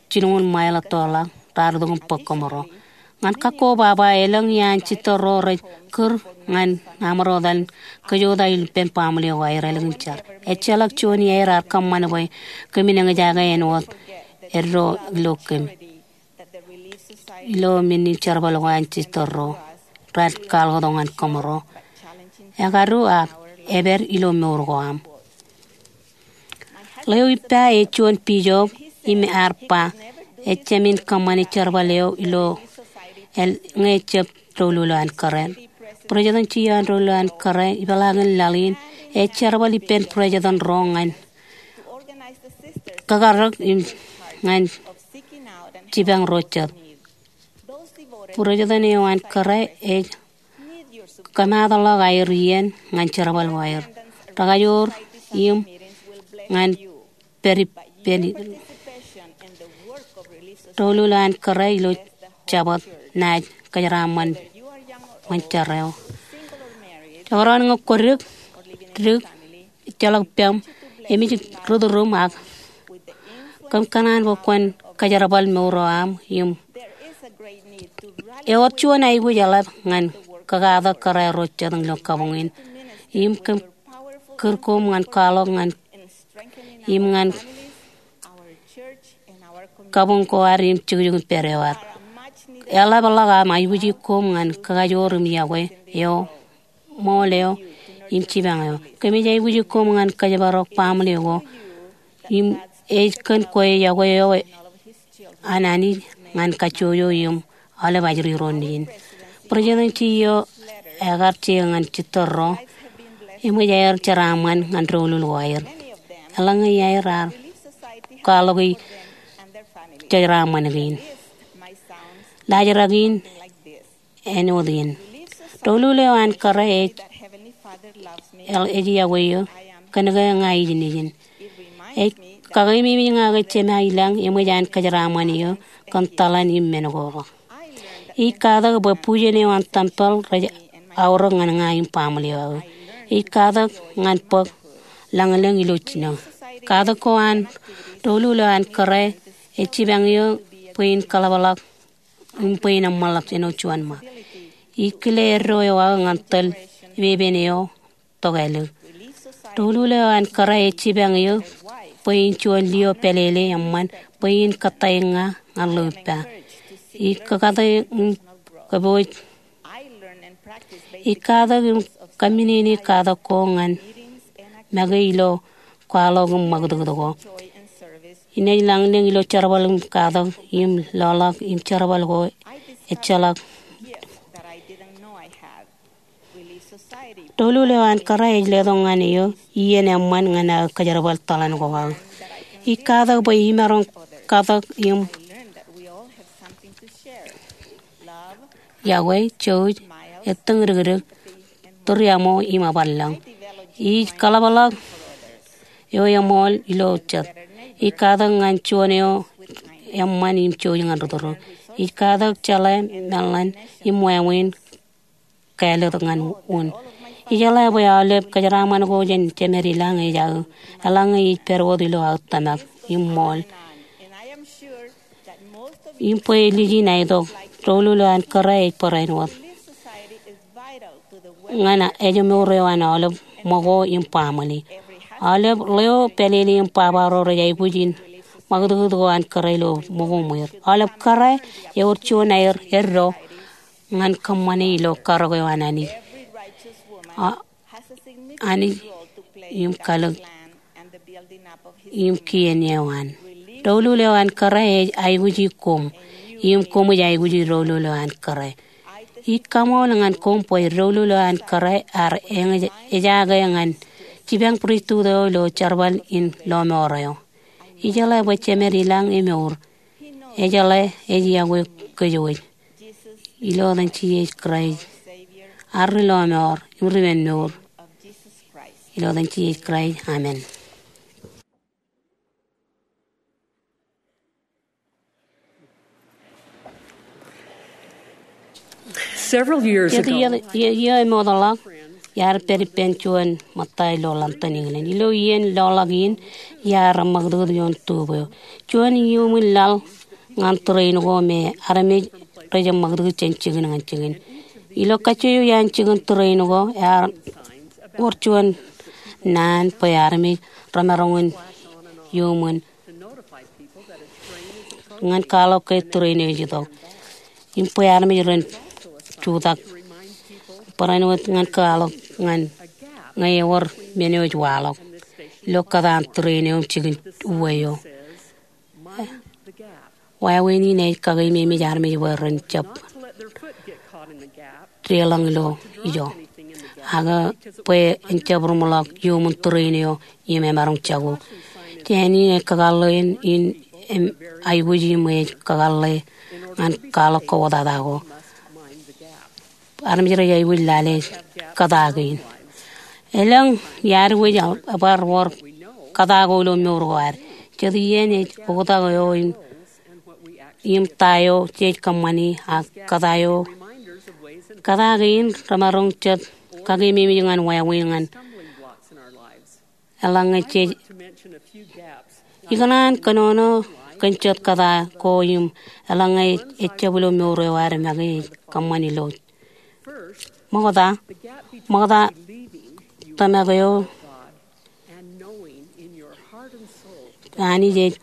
jilñuul mile ettoḷọk, raar itok im bōk kōmro. Ñan kakko baba, elōñ iaan sister ro rej kūr ñan aṃro etal kōjota ippān baaṃle ko aer ālikin jar. Ejjeḷọk juon iaer ear kōṃṃan bwe kōmin eñjake āinwōt eddo ilo kōm. Ilo men in jerbal ko an sister ro raar kwaḷọk tok ñan kōmro, ekadu ak epād ilo mour ko aṃ. Ḷeo ippa ej juon bishop im ear ba, ejāmin kōṃṃane jerbal eo ilo el ñe ejab doulul eo an kōrā. President eo an doulul eo an kōrā, ipeḷaakin laḷ in, ej jerbal ippān president ro ñan kakarōk im ñan jipañ ro jet. President eo an kōrā ej kōmaatḷọk aer iien ñan jerbal ko aer. Rekajoor im ñan pād ippān doulul eo an kōrā ilo Jabōt naaj kōjeraaṃṃan ṃōn jar eo. Jekdọọn ñe kwōdik, dik, ejjeḷọk pām, emej rūtdūrūṃ ak kōm kōṇaan bwe kwōn kōjerbal mour eo aṃ im ewōr juon aikuj eḷap ñan kakatak kōrā ro jet ilo kabuñ in. Im kōm kūr koṃ ñan kwaḷọk ñan im ñan kabuñ ko ad im jukjuk in pād eo ad. Eḷapḷọk aṃ aikuji koṃ ñan kakajoor im iọkwe eo ṃool eo im jipañ eo. Kōmij aikuji koṃ ñan kōjparok baaṃle ko im ej kōn kwe iọkwe eo an Anij ñan kajjojo im aolep ajri ro nejin. President eo ekar je ñan jitōl ro eṃōj aer jeraaṃṃan ñan doulul ko aer. Eḷaññe iaer ar kwaḷọk jeraaṃṃan kein. Laajrak in āinwōt in. Doulul eo an kōrā ej, ej yokwe eō, kōnke ña ij nejin. Ej kakeememej ña ke Jema ilañ eṃōj an kōjeraaṃṃan eō kōn taḷan im men ko. Ij katak bwe bujen eo an tempel rej aorōk ñan ña im baaṃle eo aō. Ij katak ñan bōk lañlōñ ilo jino. Katak ko an doulul eo an kōrā ej jipañ eō bwe in kaḷapḷọk im bwe in eṃṃanḷọk āinwōt juon ṃōk. Ij kile eddo eo aō ñan tōl epepen eo tok ālik. Doulul eo an kōrā ej jipañ eō bwe in juon lio pālele eṃṃan bwe in kōttāik ña ñan ḷeo ippa. Ij kakate im kōpooj. Ij katak im kōmminene katak ko ñan make ilo kwaḷọk im ṃakūtkūt ko. Inaaj lañlōñ ilo jerbal im katak im loḷọk im jerbal ko ejjeḷọk. Doulul eo an kōrā ej letok ñan eō iien eṃṃan ñan aō kōjerbal taḷan ko aō. Ij katak bwe imaroñ katak im yokwe, jouj, ettōñdikdik, tūriaṃo im ebar lōñ. Ij kaḷapḷọk eo eṃool ilo jet. Ij katak ñan juon eo eṃṃan im jouj ñan ri tōre. Ij katak jeḷā meḷeḷe im wāween kāālōt ñan un. Ijeḷā bwe aolep kōjeraaṃṃan ko jān jemed ilañ ej aō, eḷaññe ij pād wōt ilo aō tōmak im ṃool. Im bwe lijin aetok, doulul eo an kōrā ej barāinwōt ñan ejmour eo an aolep ṃōko im baaṃle. Aolep ḷeo, pālele im baba ro rej aikuj in ṃakūtkūt ko an kōrā ilo ṃōko ṃweer. Aolep kōrā ewōr juon aer eddo ñan kōṃṃane ilo karōk eo an Anij. A, Anij im kalōk im kien eo an. Doulul eo an kōrā ej aikuji koṃ, im koṃij aikuji doulul eo an kōrā. Ij kaṃool ñan koṃ bwe doulul eo an kōrā ear eñjake ñan jipañ pristut eo ilo jerbal in lọmọọr eo. Ijeḷā bwe jemed ilañ emour. Ejeḷā ej yokwe kōjwōj. Ilo etan Jisōs Kraist, ad ri lọmọọr im ri men mour. Ilo etan Jisōs Kraist, amen. Several years ago, iiō, iiō, iiō emootḷọk, iar pād ippān juon ṃōtta ilo London, England. Ilo iien loḷọk in, iar ṃakūtkūt ioon tube eo. Juon iuṃwin laḷ ñan train ko me armej rej ṃakūtkūt jān jikin ñan jikin. Ilo kajju eo iaan jikin train ko, ear wōr juon naan bwe armej remaroñ in iuṃwin ñan kwaḷọk ke train eo ej itok im bwe armej ren jutak. Barāinwōt ñan kwaḷọk ñan ñe ewōr men eo ej waḷọk ilo kōtaan train eo im jikin uwe eo. Wāween in ej kakeememej armej bwe ren jab deḷọñ ilo ijo, ak bwe en jab ruṃḷọk iuṃwin train eo im emaroñ jako. Jān in ej kakōḷḷe in, in aikuji im ej kakōḷḷe ñan kwaḷọk kōwōtata ko. Armej rej aikuj lale kōta kein. Elōñ iaad wōj ebar wōr kōta ko ilo mour ko ad. Jet iien ej oktak eo im, im ta eo jej kōṃṃani ak kōta eo. Kōta kein remaroñ jet kakeememej ñan wāween ñan eḷaññe jej ikōṇaan kōnono kōn jet kōta ko im eḷaññe ejjab ilo mour eo ad make ej kōṃṃan ilo. Ṃokta, ṃokta tōmak eo Anij ej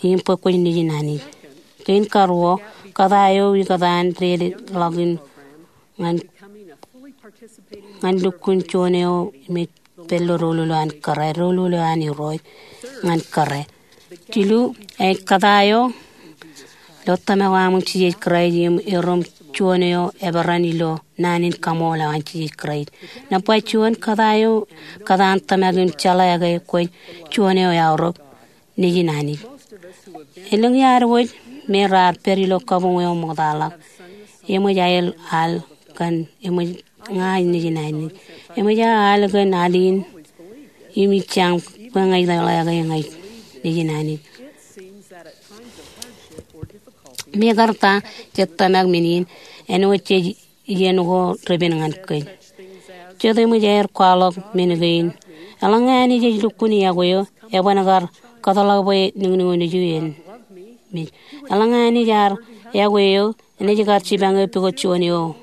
im bwe kwōj nejin Anij. Kein karuo, kōta eo ikōtaan dedeḷọk in ñan, ñan lukkuun juon eo im ej pād ilo doulul eo an kōrā, doulul eo an Irooj ñan kōrā. Jilu, ej kōta eo ilo tōmak eo aṃ im Jisōs Kraist im erom juon eo eperan ilo naan in kaṃool eo an Jisōs Kraist. Nōṃba juon, kōtaan eo, kōtaan tōmak in jeḷā ke kwōj juon eo eaorōk nejin Anij. Elōñ iaad wōj me raar pād ilo kabuñ eo ṃoktaḷọk eṃōj aer al kōn eṃōj ña nejin Anij. Eṃōj aō al kōn al in im ij jañ bwe ña ij jeḷā ke ña nejin Anij. Mekarta, jet tōmak men in āinwōt jej iien ko repen ñan kōj. Jet eṃōj aer kwaḷọk men kein. Eḷaññe Anij ej lukkuun yokwe eo, eban kar kōtḷọk bwe niñniñ eo nejū en mej. Eḷaññe Anij ear yokwe eo, enaaj kar jipañ eō pukot juon eo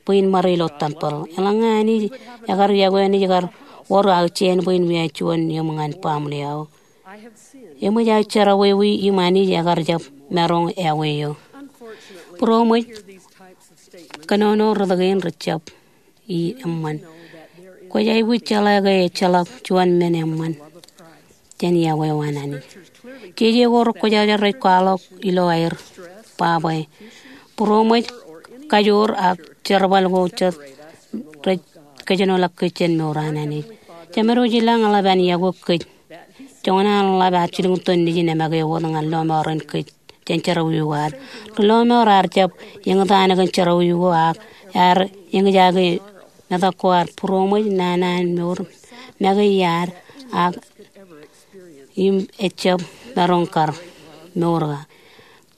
bwe in ṃare ilo tempel. Eḷaññe Anij ekar yokwe eo, enaaj kar wōr aō jāān bwe in wiaaj juon eṃ ñan baaṃle eo. Eṃōj aō jerọwiwi im Anij ekar jab maroñ yokwe eo. Būroṃōj, kōnono rot kein rejjab i eṃṃan. Kwōj aikuj jeḷā ke ejjeḷọk juon men eṃṃan jān yokwe eo an Anij. Jeje ko rekwōjarjar rej kwaḷọk ilo aer ba bwe būroṃōj, kajoor ak jerbal ko jet rej kōjenolọk kōj jān mour an Anij. Jemedwōj ilañ eḷap an yokwe kōj. Joñan an ḷap ad jilkintok nejin eṃōj ke wōt ñan lọmọọren kōj jān jerọwiwi ko ad. Ri lọmọọr ear jab eñtaan kōn jerọwiwi ko ak ear eñjake metak ko ad. Būroṃōj, naan an mour make iar ak im ejjab maroñ kar mour ka.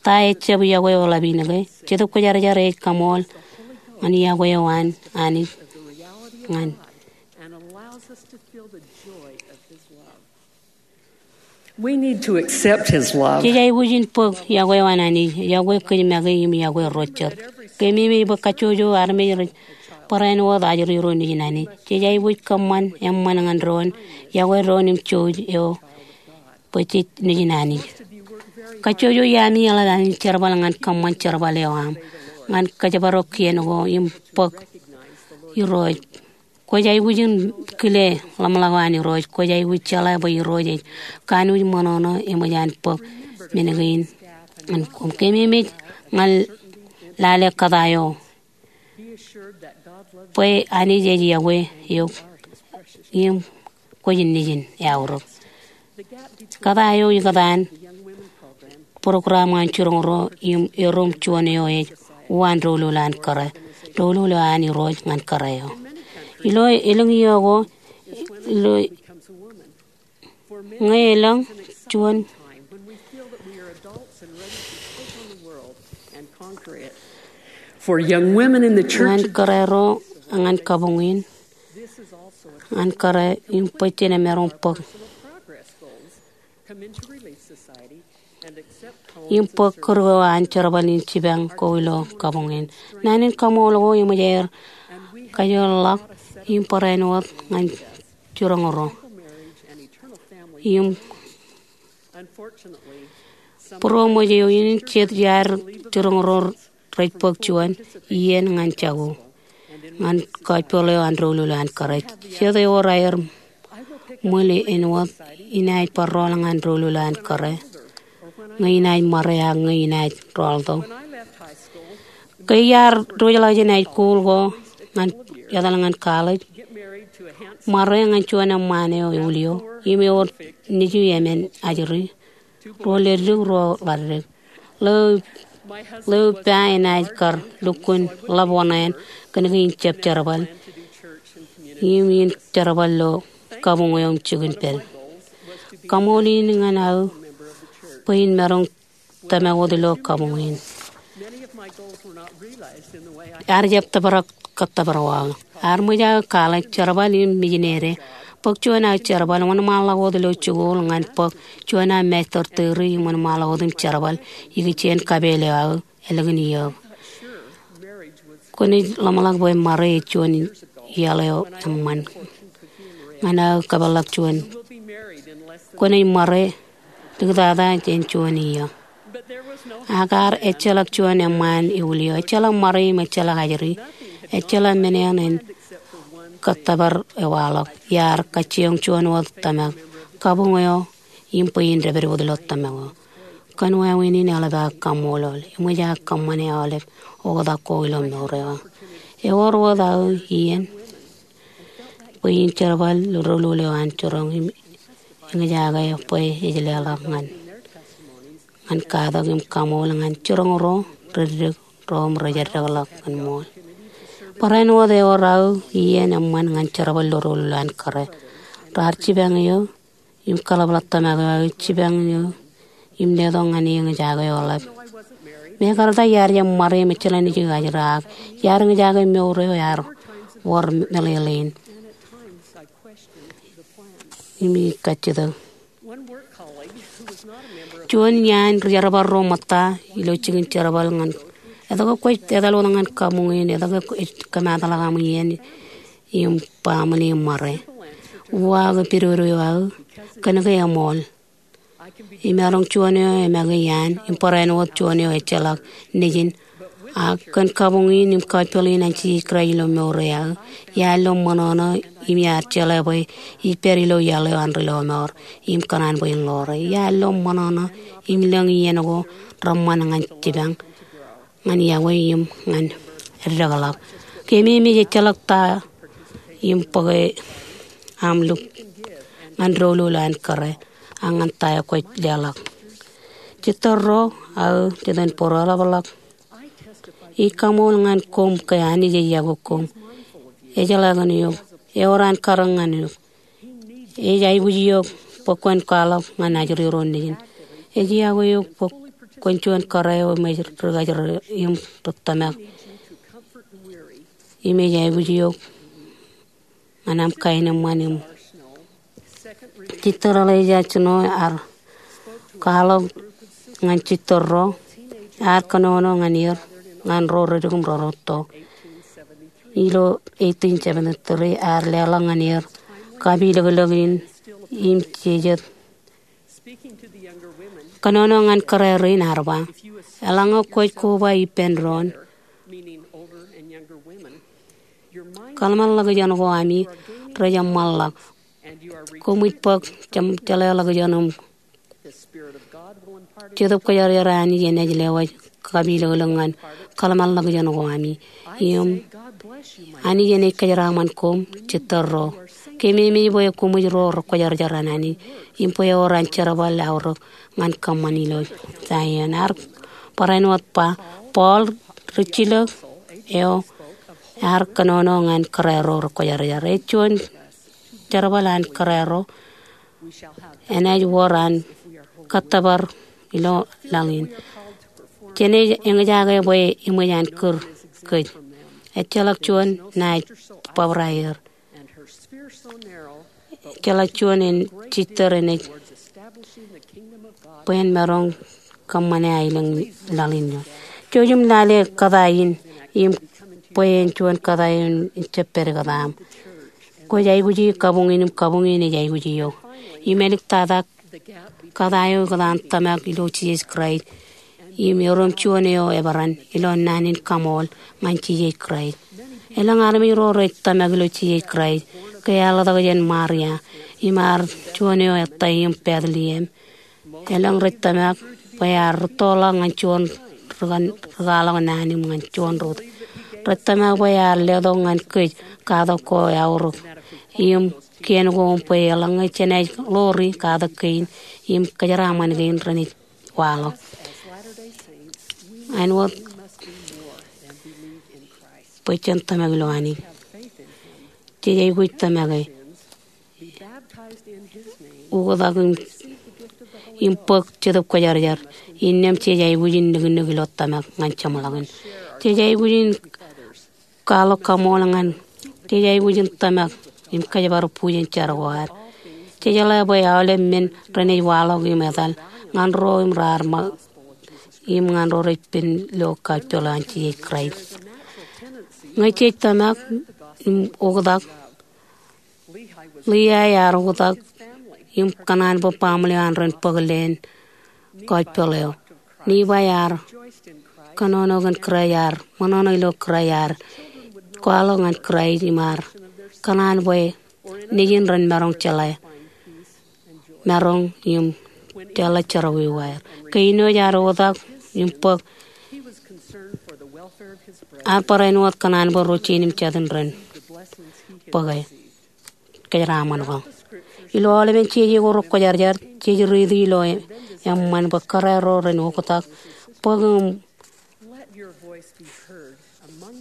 Ta ejjab yokwe eo ḷap in ke? Jetōb Kwōjarjar ej kaṃool ñan yokwe eo an Anij ñan. We need to accept his love. Jej aikuj in bōk yokwe eo an Anij, yokwe kōj make im yokwe ro jet. Keememej bwe kajjojo armej rej barāinwōt ajri ro nejin Anij. Jej aikuj kōṃṃan eṃṃan ñan doon yokwe doon im jouj eo bwe jej nejin Anij. Kajjojo iaami eḷap an jerbal ñan kōṃṃan jerbal eo aṃ ñan kōjparok kien ko im bōk Irooj. Kwōj aikuj in kile ḷōmṇak eo an Irooj. Kwōj aikuj jeḷā bwe Irooj ej kanooj ṃōṇōṇō eṃōj an bōk men kein ñan koṃ. Keememej ñan lale kōtaan eo bwe Anij ej yokwe eok im kwōj nejin eaorōk. Kōtaan eo ikōtaan program ñan jiroñ ro im erom juon eo ej uwaan doulul an kōrā, doulul eo an Irooj ñan kōrā eo. Ilo elōñ iiō ko, ilo ñe elōñ juon For young women in the church, ñan kōrā ro ñan kabuñ in, ñan kōrā im bwe jen maroñ bōk im bōk kūr ko an jerbal in jipañ ko ilo kabuñ in. Naan in kaṃool ko eṃōj aer kajoorḷọk im barāinwōt ñan jiroñ ro. Im būroṃōj eo in jet iaad jiroñ ro rej bōk juon iien ñan jako ñan gospel eo an doulul an kōrā. Jet ewōr aer ṃwil āinwōt inaaj bar rọọl ñan doulul an kōrā, ñe inaaj ṃare ak ñe inaaj rọọltok. Ke iar diwōjḷọk jān high school ko ñan etal ñan college, ṃare ñan juon eṃṃaan eo ewūlio im ewōr nejū emān ajri, ruo ledik ruo ḷaddik. Ḷeo, ḷeo ippa enaaj kar lukkuun ḷap wōṇāān kōn kein jab jerbal im in jerbal ilo kabuñ eo im jikin pād. Kaṃool in ñan aō bwe in maroñ tōmak wōt ilo kabuñ in. Ear jab tōprak kōttōpar wōt. Ear ṃōj aō college jerbal im mijinede. Bōk juon aō jerbal, wōnṃaanḷọk wōt ilo jikuuḷ ñan bōk juon aō master degree im wōnṃaanḷọk wōt im jerbal ikijjien kapeel eo aō ālikin iiō. Kwōnaaj ḷōmṇak bwe ṃare ej juon iaḷ eo eṃṃan. Ñan aō kōpeḷḷọk juon, kwōnaaj ṃare diktata jān juon iiō. Ak ear ejjeḷọk juon eṃṃaan ewūlio, ejjeḷọk ṃare im ejjeḷọk ajri, ejjeḷọk men eṇ en kōttōpar ewaḷọk. Iar kajjioñ juon wōt tōmak, kabuñ eo im bwe in dāpdep wōt ilo tōmak eo. Kōn wāween in eḷap aō kaṃṃoolol. Eṃōj aō kōṃṃane aolep oktak ko ilo mour eo. Ewōr wōt aō iien bwe in jerbal doulul eo an jiroñ im eñjake bwe ej leḷọk ñan, ñan katak im kaṃool ñan jiroñ ro reddik ro im rej eddekḷọk kōn ṃool. Barāinwōt ewōr aō iien eṃṃan ñan jerbal doulul an kōrā. Raar jipañ eō im kaḷapḷọk tōmak eo aō jipañ eō im letok ñan e eñjake eo ḷap. Mekarta iar jab ṃare im ejjeḷā nejū ajri, ak iar eñjake mour eo ear wōr meḷeḷein im ij kajjitōk. Juon iaan ri-jerbal ro ṃōtta ilo jikin jerbal ñan, etke kwōj etal wōt ñan kabuñ in, etke kwōj kōmaatḷọk aṃ iien im baaṃle im ṃare? Uwaak pidodo eo aō, kōnke eṃool. Imaroñ juon eo emake iaan, im barāinwōt juon eo ejjeḷọk nejin. Ak kōn kabuñ in im kajjoḷ in an Jisōs Kraist ilo mour eo aō, iar lo ṃōṇōṇō im iar jeḷā bwe ij pād ilo iaḷ eo an ri-lọmọọr im kōṇaan bwe in ḷoore. Iar lo ṃōṇōṇō im lōñ iien ko reṃṃan ñan jipañ ñan iọkwe im ñan eddekḷọk. Keememej ejjeḷọk ta im bōke aṃ luk ñan doulul an kōrā ak ñan ta eo kwōj leḷọk. Jitōl ro aō, jitōnbōro, eḷapḷọk. Ij kaṃool ñan koṃ ke Anij ej iọkwe koṃ. Ej jeḷā kōn eok. Ewōr an karōk ñan eok. Ej aikuj eok bwe kwōn kwaḷọk ñan ajri ro nejin. Ej iọkwe eok bwe kwōn juon kōrā eo eṃōj ri-kōjro im ri-tōmak. Im ej aikuj eok ñan aṃ kaenōṃṃan im. Sister Elijah Snow ear kwaḷọk ñan jitōl ro, ear kōnono ñan er, ñan ro reddik im ro rūtto. Ilo eighteen seventy-three ear leḷọk ñan er kapilōklōk in im jejet. Kōnono ñan kōrā rein ear ba, eḷaññe kwōj koba ippān doon, kōḷmānḷọkjeṇ ko ami rej eṃṃanḷọk. Koṃij bōk jeḷāḷọkjeṇ im Jetōb Kwōjarjar an Anij enaaj lewōj kapilōklōk ñan kōḷmānḷọkjeṇ ko ami. Im Anij enaaj kōjeraṃṃan koṃ, jitōl ro. Keememej bwe koṃij ro rekwōjarjar an Anij, im bwe ewōr an jerbal aorōk ñan kōṃṃan ilo Zaion. Ear barāinwōt ba, Paul, rijjilōk eo, ear kōnono ñan kōrā ro rekwōjarjar. Ej juon jerbal an kōrā ro, enaaj wōr an kōttōpar ilo laḷ in. Jenaaj eñjake bwe eṃōj an kūr kōj. Ejjeḷọk juon naaj bōbraer. Ejjeḷọk juon en jitōl enaaj bwe en maroñ kōṃṃane aelōñ laḷ in eo. Jouj im lale kōtaan in im bwe en juon kōtaan in jab pād kōtaan. Kwōj aikuji kabuñ in im kabuñ in ej aikuji eok. Im āliktata kōtaan eo ikōtaan tōmak ilo Jisōs Kraist. Im erom juon eo eperan ilo naan in kaṃool ñan Jisōs Kraist. Elōñ armej ro rej tōmak ilo Jisōs Kraist ke ear ḷotak jān Maria im ear juon eo ettā im Bethlehem. Elōñ rej tōmak bwe ear rūttoḷọk ñan juon rikaaḷọk naan im ñan juon rot. Rej tōmak bwe ear letok ñan kōj katak ko eaorōk im kien ko im bwe eḷaññe jenaaj ḷoori katak kein im kōjeraṃṃan kein renaaj waḷọk. Āinwōt bwe jen tōmak ilo Anij. Jej aikuj tōmake, ukōtak im, im bōk Jetōb Kwōjarjar. Innām jej aikuj in nuknuk ilo tōmak ñan jeṃḷọkin. Jej aikuj in kwaḷọk kaṃool ñan, jej aikuj in tōmak im kōjparok bujen jar ko ad. Jejeḷā bwe aolep men renaaj waḷọk im etal ñan ro im raar ṃōk im ñan ro rej pen lo gospel an Jisōs Kraist. Ñe jej tōmak im ukōtak, Liai ear ukōtak im kōṇaan bwe baaṃle eo an ren bōk leen gospel eo. Nibai ear kōnono kōn Kraist, ear ṃōṇōṇō ilo Kraist, ear kwaḷọk ñan Kraist im ear kōṇaan bwe nejin ren maroñ jeḷā maroñ im jeḷā jerọwiwi aer. Ke āinwōj ad oktak im bōk, ad barāinwōt kōṇaan bwe ro jein im jatū ren bōke kōjeraṃṃan ko. Ilo aolepen jeje ko rekwōjarjar, jej riiti ilo eṃṃan bwe kōrā ro ren oktak, bōk im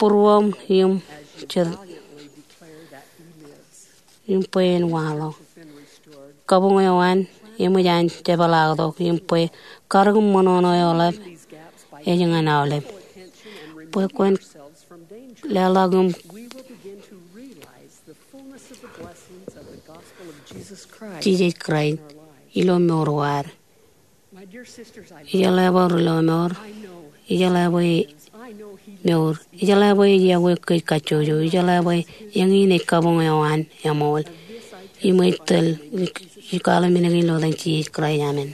būruōṃ im jet im bwe en waḷọk. Kabuñ eo an eṃōj an jepeḷaaktok im bwe karōk im ṃōṇōṇō eo ḷap ej ñan aolep. Bwe kwōn leḷọk im Jisōs Kraist ilo mour eo ad. Ijeḷā bwe ri lọmọọr, ijeḷā bwe mour, ijeḷā bwe ej yokwe kōj kajjojo, ijeḷā bwe eñin ej kabuñ eo an eṃool. Im ij tōl, ij kwaḷọk men kein ilo etan Jisōs Kraist, amen.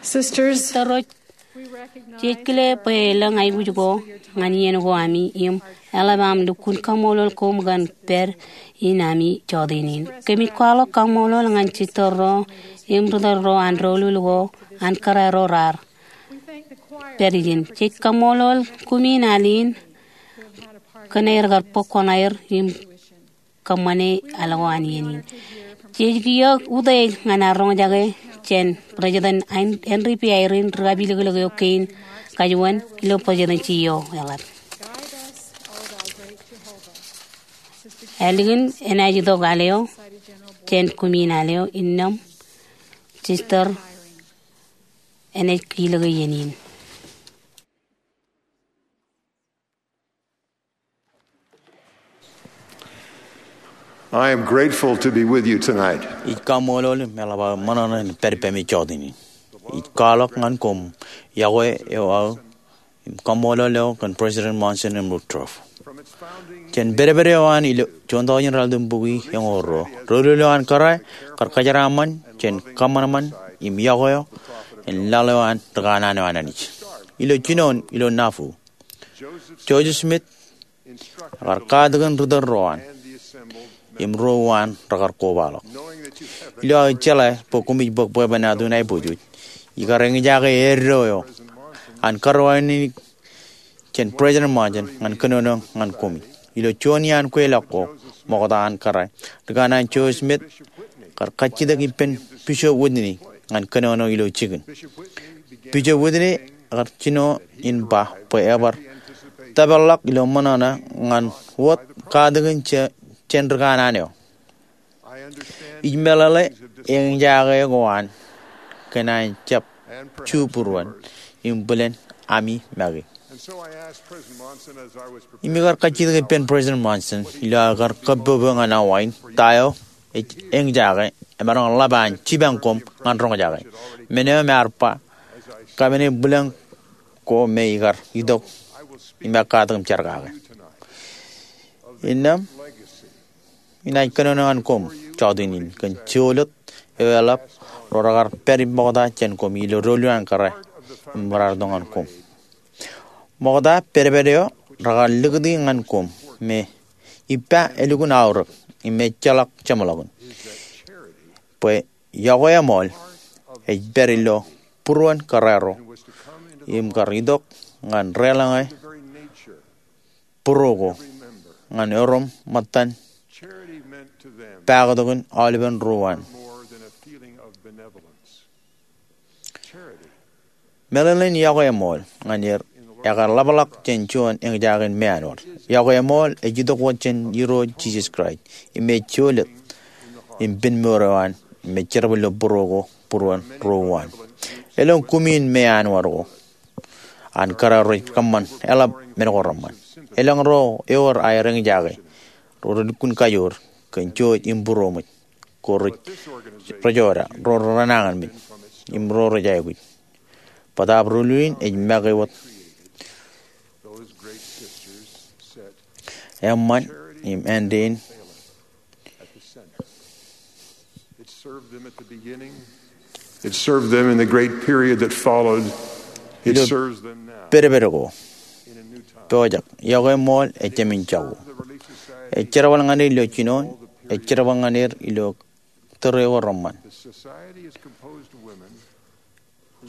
Sisters, Ro-, Jej kile bwe elōñ aikuj ko ñan iien ko ami im eḷap aṃ lukkuun kaṃṃoolol koṃ kōn pād in ami jọteen in. Kōmij kwaḷọk kaṃṃoolol ñan sister ro im ritōl ro an doulul ko an kōrā ro raar pād ijin. Jej kaṃṃoolol kumi in al in kōn aer kar bōk kuṇaer im kōṃṃane al ko an iien in. Jej kiiō utiej ñan ad roñjake jān President Henry B. Eyring ri kapilōklōk eo kein kajuon ilo presidency eo eḷap. Ālikin enaaj itok al eo jān kumi in al eo innām sister enaaj kilōk iien in. I am grateful to be with you tonight. Ij kaṃṃoolol im eḷap aō ṃōṇōṇō in pād ippaṃ jọteen in. Ij kwaḷọk ñan koṃ yokwe eo aō im kaṃṃoolol eo kōn President Monson im Woodruff. Jān pedped eo an ilo juon tọujin raelep bukwi eñoul ruo, doulul eo an kōrā kar kōjeraaṃṃan jān kōṃanṃan im yokwe eo in laḷ eo an rikanaan eo an Anij. Ilo jinoin ilo Nauvoo, Joseph Smith ekar katakin ritōl ro an im ro uwaan rekar kobaḷọk. Ilo aō jeḷā bwe koṃij bōk bwebwenato in aiboojoj, ikar eñjake eddo eo an kōrā eo an Anij jān President Monson ñan kōnono ñan koṃij. Ilo juon iaan kweilọk ko ṃokta an kōrā, rikanaan Joseph Smith ekar kajjitōk ippān Bishop Whitney ñan kōnono ilo jikin. Bishop Whitney ekar jino in ba bwe ebar tōpeḷḷọk ilo ṃōṇōṇō ñan wōt katakin jān rikanaan eo. Ij meḷeḷe eñjake ko an kōn an jab ju būruon im bōlen ami make. Im ikar kajjitōk ippān President Monson ilo aō kar kōbbobo ñan Hawaii ta eo ej eñjake emaroñ ḷap an jipañ koṃ ñan roñjake. Men eo im ear ba, kōmij bōlen ko me ikar itok im katakin jar kake. Innām, inaaj kōnono ñan koṃ jọteen in kōn jolōt eo eḷap ro rekar pād im ṃokta jān koṃ ilo doulul an kōrā im raar itok ñan koṃ. Ṃokta pedped eo rekar likūti ñan koṃ me ippa elukkuun aorōk im ejjeḷọk jeṃḷọkin bwe yokwe eṃool ej pād ilo būruon kōrā ro im kar itok ñan deḷọñe būro ko ñan erom ṃōttan paktokin aolepen ro uwaan. Meḷeḷein yokwe eṃool ñan er ekar ḷapḷọk jān juon eñjake in meanwōd. Yokwe eṃool ej itok wōt jān Irooj Jisōs Kraist im ej jolōt im pen mour eo an im ej jerbal ilo būro ko būruon ro uwaan. Elōñ kumi in meanwōd ko an kōrā rej kōṃṃan eḷap men ko reṃṃan. Elōñ ro ewōr aer eñjake ro relukkuun kajoor kōn jouj im būroṃōj ko rej, rej jota, ro renañinmej im ro rej aikuj. Bōtaab doulul in ej make wōt eṃṃan im āindein. It served them at the beginning. It served them in the great period that followed. It serves them now. Pedped ko pojak, yokwe eṃool ej jāmin jako. Ej jerbal ñan er ilo jinoin, ej jerbal ñan er ilo tōre ko reṃṃan.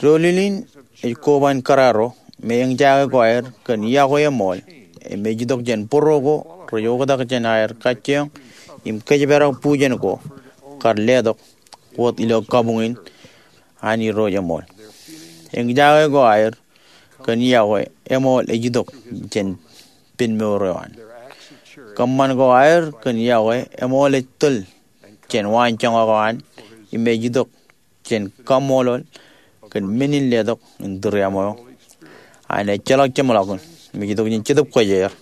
Doulul in ej koba in kōrā ro me eñjake ko aer kōn yokwe eṃool im ej itok jān būro ko rej oktak jān aer kajjioñ im kōjparok bujen ko kar letok wōt ilo kabuñ in an Irooj eṃool. Eñjake ko aer kōn yokwe eṃool ej itok jān pen mour eo an. Kōṃṃan ko aer kōn yokwe eṃool ej tōl jān waanjoñak eo an im ej itok jān kaṃṃoolol kōn men in letok in tūriaṃo eo an ejjeḷọk jeṃḷọkin im ej itok jān Jetōb Kwōjarjar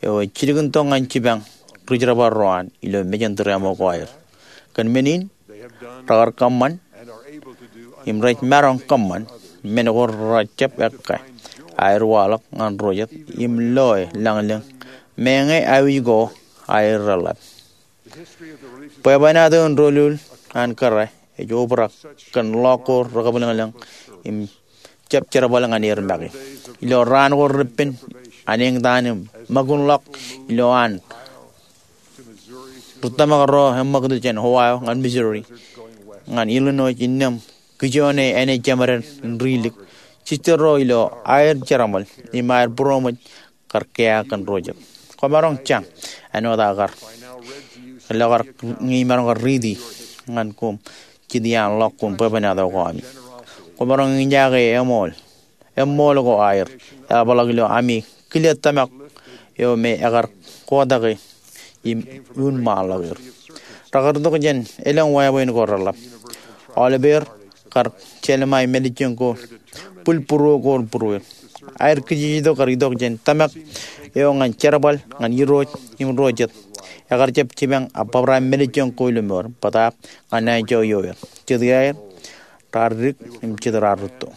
eo ej jilkintok ñan jipañ ri jerbal ro an ilo mejān tūriaṃo ko aer. Kōn men in rekar kōṃṃan im rej maroñ kōṃṃan men ko rejjab ekka aer waḷọk ñan ro jet im loe lañlōñ meñe aikuj ko aer reḷḷap. Bwebwenato in doulul an kōrā ej obrak kōn ḷọk ko rekabwilōñlōñ im jab jerbal ñan er make. Ilo raan ko reppen, an eñtaan im ṃōkunḷọk ilo an ri tōmak ro eṃṃakūt jān Ohio ñan Missouri ñan Illinois innām kijoone āne jeṃaden in rilik. Jistō ro ilo aer jerbal im aer būroṃōj kar kea kōn ro jet. Kwōmaroñ jañ āinwōt aō kar, ilo kar ñe imaroñ kar riiti ñan koṃ jet iaan ḷọk koṃ bwebwenato ko ami. Kwōmaroñ eñjake eṃool, eṃool ko aer eḷapḷọk ilo ami kile tōmak eo me ekar kotake im un ṃaanḷọk er. Rekar itok jān elōñ wāween ko reḷap. Aolepeer kar jelṃae mālejjoñ ko bwilbūruo ko būrueir. Aer kijejetok kar itok jān tōmak eo ñan jerbal ñan irooj im ro jet. Ekar jab jipañ abōbrae mālejjoñ ko ilo mour, bōtaab ñan anjọ ioer. Jet iaer raar dik im jet raar rūtto.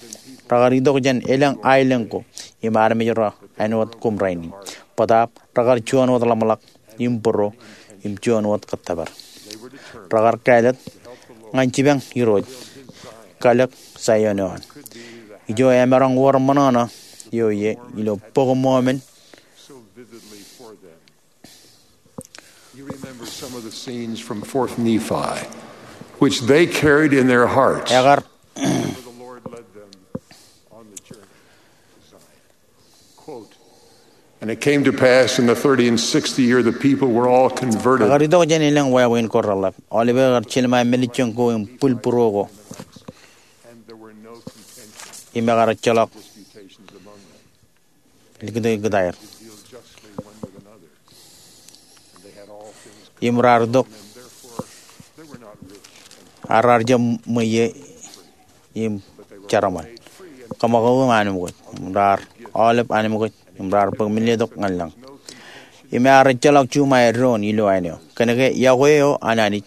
Rekar itok jān elōñ aelōñ ko im armej ro āinwōt koṃ rainin, bōtaab rekar juon wōt ḷōmṇak im bōro im juon wōt kōttōpar. Rekar kāālōt ñan jipañ irooj, kalōk Saion eo an. Ijo emaroñ wōr ṃōṇōṇō eo ie ilo Bok Mormon. You remember some of the scenes from Fourth Nephi, which they carried in their hearts. Ekar, the Lord led them on the journey to Zion. Quote, "And it came to pass in the thirty and sixth year, the people were all converted." Rekar itok jān elōñ wāween ko reḷap. Aolepeer kar jelṃae mālejjoñ ko im bwilbūruo ko. And there were no contentions, im ekar ejjeḷọk disputations among them. Likūt, likūt aer. Deal justly one with another. And they had all things. Im raar itok. Therefore, they were not rich. Ak raar jab ṃweiie im jerbal. Kōṃakoko im anmookwōj. Im raar aolep anmookwōj. Im raar bōk men letok ñan lañ. Im ear ejjeḷọk juṃae doon ilo āne eo. Kōnke iọkwe eo an Anij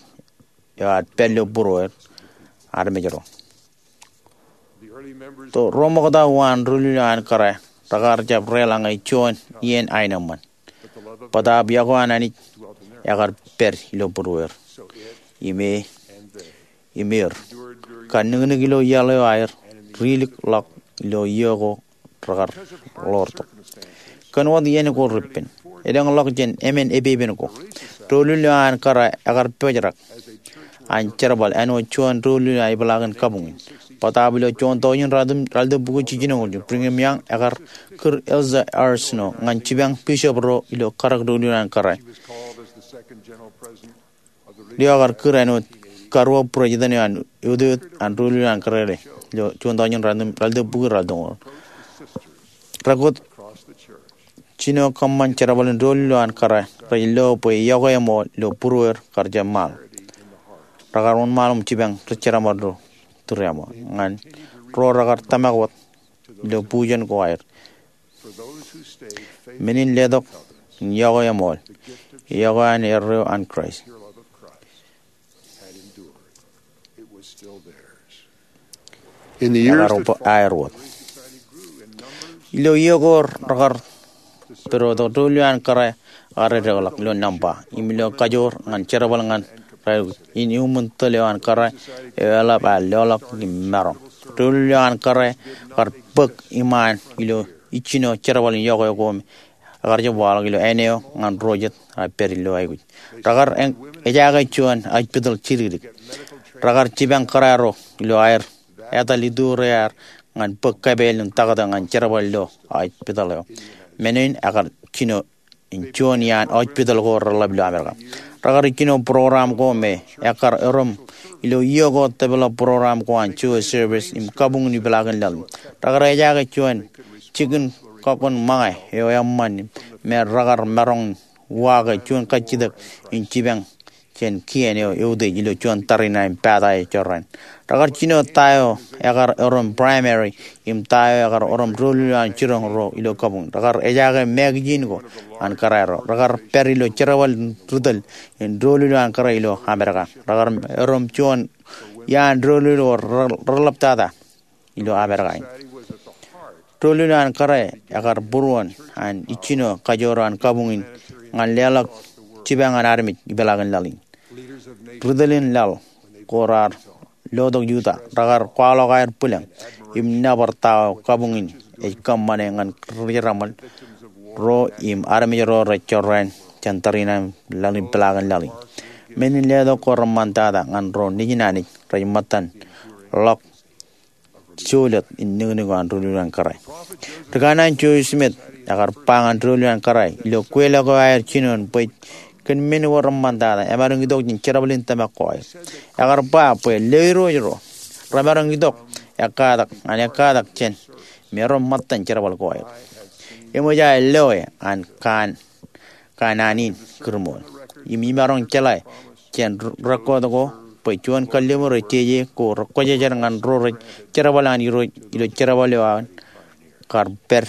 eo ad pād ilo būrueir armej ro. To ro ṃokta uwaan doulul eo an kōrā rekar jab deḷọñ juon iien aenōṃṃan. Bōtaab iọkwe an Anij ekar pād ilo būrueir. Im e, im er, kar niknik ilo iaḷ eo aer rilik ḷọk ilo iiō ko rekar ḷoortok. Kōn wōt iien ko reppen, elōñḷọk jān emān epepen ko, doulul eo an kōrā ekar pojrak an jerbal āinwōt juon doulul eo an epeḷaakin kabuñ in. Bōtaab ilo juon tọujin ratimjuon ratimjuon bukwi jiljino, Brigham Young ekar kūr Elder R. Snow ñan jipañ bishop ro ilo karōk doulul eo an kōrā. Eo ekar kūr āinwōt karuo president eo an eutiot an doulul eo an kōrā ilo juon tọujin ratimjuon bukwi ratimjuon. Rekōt jino kōṃṃan jerbal in doulul eo an kōrā rej lo bwe iọkwe eṃool ilo būrueir kar jab ṃaal. Rekar wōnṃaanḷọk im jipañ ri-jerbal ro tūriaṃo ñan ro rekar tōmak wōt ilo bujen ko aer. Men in letok in iọkwe eṃool, iọkwe an erreo an Kraist. Ekar aer wōt. Ilo iiō ko rekar pād wōt, doulul eo an kōrā ekar edekḷọk ilo nōṃba im ilo kajoor ñan jerbal ñan raelukkuun in iuṃwin tōl eo an kōrā eo eḷap aer leḷọk im maroñ. Doulul eo an kōrā ekar bōk iṃaan ilo ijjino jerbal in iọkwe ko me ekar jab waḷọk ilo āne eo ñan ro jet aer pād ilo aikuj. Rekar ejaake juon aujpitōḷ jidikdik. Rekar jipañ kōrā ro ilo aer etal itureaer ñan bōk kapeel im taktō ñan jerbal ilo aujpitōḷ eo. Men in ekar jino in juon iaan aujpitōḷ ko reḷap ilo Amerika. Rekar ijjino program ko me ekkar erom ilo iiō ko develop program ko an Jewish service im kabuñ in ipeḷaakin laḷ in. Rekar ejaake juon jikin kọkkun ṃōñā eo eṃṃan me rekar maroñ in uwaake juon kajjitōk in jipañ jān kien eo eutiej ilo juon tariṇae im pata eo jorrāān. Rekar jino ta eo ekar erom primary im ta eo ekar erom doulul eo an jiroñ ro ilo kabuñ. Rekar ejaake magazine ko an kōrā ro. Rekar pād ilo jerbal in ritōl in doulul eo an kōrā ilo Amerika. Rekar erom juon iaan doulul ko reḷaptata ilo Amerika in. Doulul eo an kōrā ekar būruon an ijjino kajoor eo an kabuñ in ñan leḷọk jipañ an armej ipeḷaakin laḷ in. Ritōl in laḷ ko raar lotok Utah, rekar kwaḷọk aer bwilōñ im nōbar ta eo kabuñ in ej kōṃṃane ñan ri-jeraṃōl ro im armej ro rej jorrāān jān tariṇae im laḷ in, peḷaakin laḷ in. Men in letok ko reṃṃantata ñan ro nejin Anij rej ṃōttan ḷọk jolōt in nuknuk eo an doulul an kōrā. Rikanaan Joseph Smith ekar ba ñan doulul an kōrā ilo kweilọk eo aer jinoin bwe kōn men ko reṃṃantata emaroñ itok jān jerbal in tōmak ko aer. Ekar ba bwe lewōj ro remaroñ itok ekkatak ñan ekkatak jān me ren ṃōttan jerbal ko aer. Eṃōj aō loe an kaan kanaan in kūrṃool. Im imaroñ jeḷā jān rekkot ko bwe juon kalliṃur ej jeje ko rekwōjarjar ñan ro rej jerbal an Irooj ilo jerbal eo an kar pād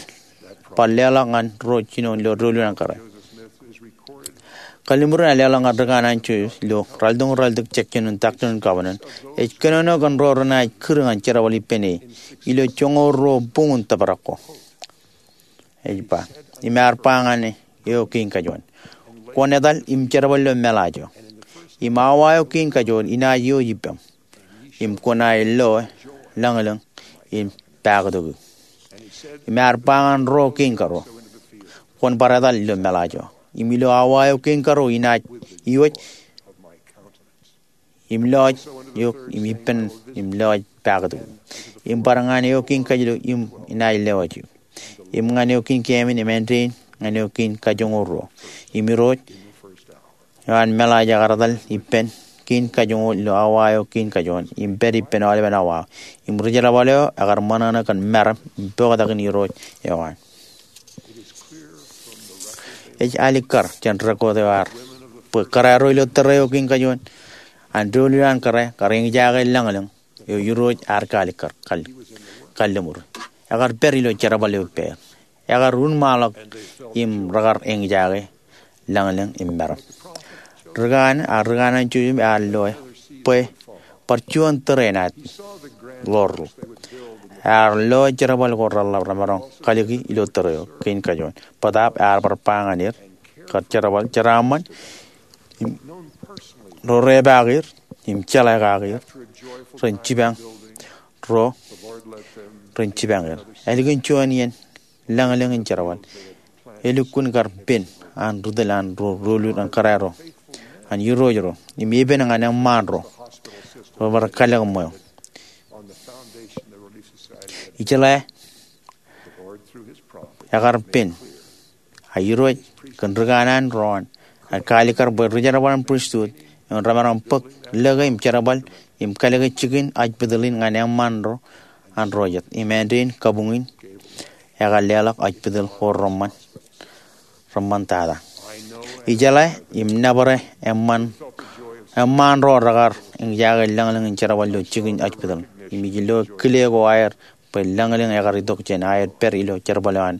bar leḷọk ñan ro jinoin ilo doulul an kōrā. Kalliṃur in ear leḷọk ñan rikanaan Joseph ilo ralitōñoul ralitōk section in Doctrine and Covenants ej kōnono kōn ro renaaj kūr ñan jerbal ippān e ilo joñoul ruo buñ in tōprak ko. Ej ba, im ear ba ñan eo kein kajuon, kwōn etal im jerbal ilo meḷaaj eo. Im awa eo kein kajoor inaaj ioj ippaṃ, im kwōnaaj loe lañlōñ im paktok eok. Im ear ba ñan ro kein karuo, kwōn bar etal ilo meḷaaj eo. Im ilo awa eo kein karuo inaaj ioj im lọọj eok im ippān im lọọj paktok eok. Im bar ñan eo kein kajilo im inaaj lewōj eok. Im ñan eo kein keemān im āindein ñan eo kein kajoñoul ruo. Im Irooj eo an meḷaaj ekar etal ippān kein kajoñoul ilo awa eo kein kajoor im pād ippān aolepen awa eo. Im ri-jerbal eo ekar ṃōṇōṇō kōn meram im poktakin Irooj eo an. Ej alikkar jān rekkot eo aer bwe kōrā ro ilo tōre eo kein kajoor an doulul an kōrā kar eñjake lañlōñ eo Irooj ear kaalikkar kalliṃur. Ekar pād ilo jerbal eo ippāer. Ekar unṃaanḷọk im rekar eñjake lañlōñ im meram. Rikanaan, a rikanaan Joseph ear loe bwe bar juon tōre enaaj ḷoor ḷọk. Ear loe jerbal ko reḷḷap remaroñ kalōke ilo tōre eo kein kajoor. Bōtaab ear bar ba ñan er kar jerbal jeraaṃṃan im ro repaak er im jeḷā kake er ren jipañ ro ren jipañ er. Ālikin juon iien lañlōñ in jerbal, elukkuun kar pen an ri tōl an ro doulul an kōrā ro an Irooj ro im epen ñan eṃṃaan ro rej bar kalōk ṃweo. Ijeḷā ekar pen a Irooj kōn rikanaan ro an ear kaalikkar bwe ri-jerbal in pristut eoon remaroñ bōk lōke im jerbal im kalōke jikin hospital in ñan eṃṃaan ro an ro jet. Im āindein kabuñ in ekar leḷọk hospital ko reṃṃan reṃṃantata. Ijeḷā im nōbar eṃṃaan ro rekar eñjake lañlōñ in jerbal ilo jikin hospital. Im ij lo kile ko aer bwe lañlōñ ekar itok jān aer pād ilo jerbal eo an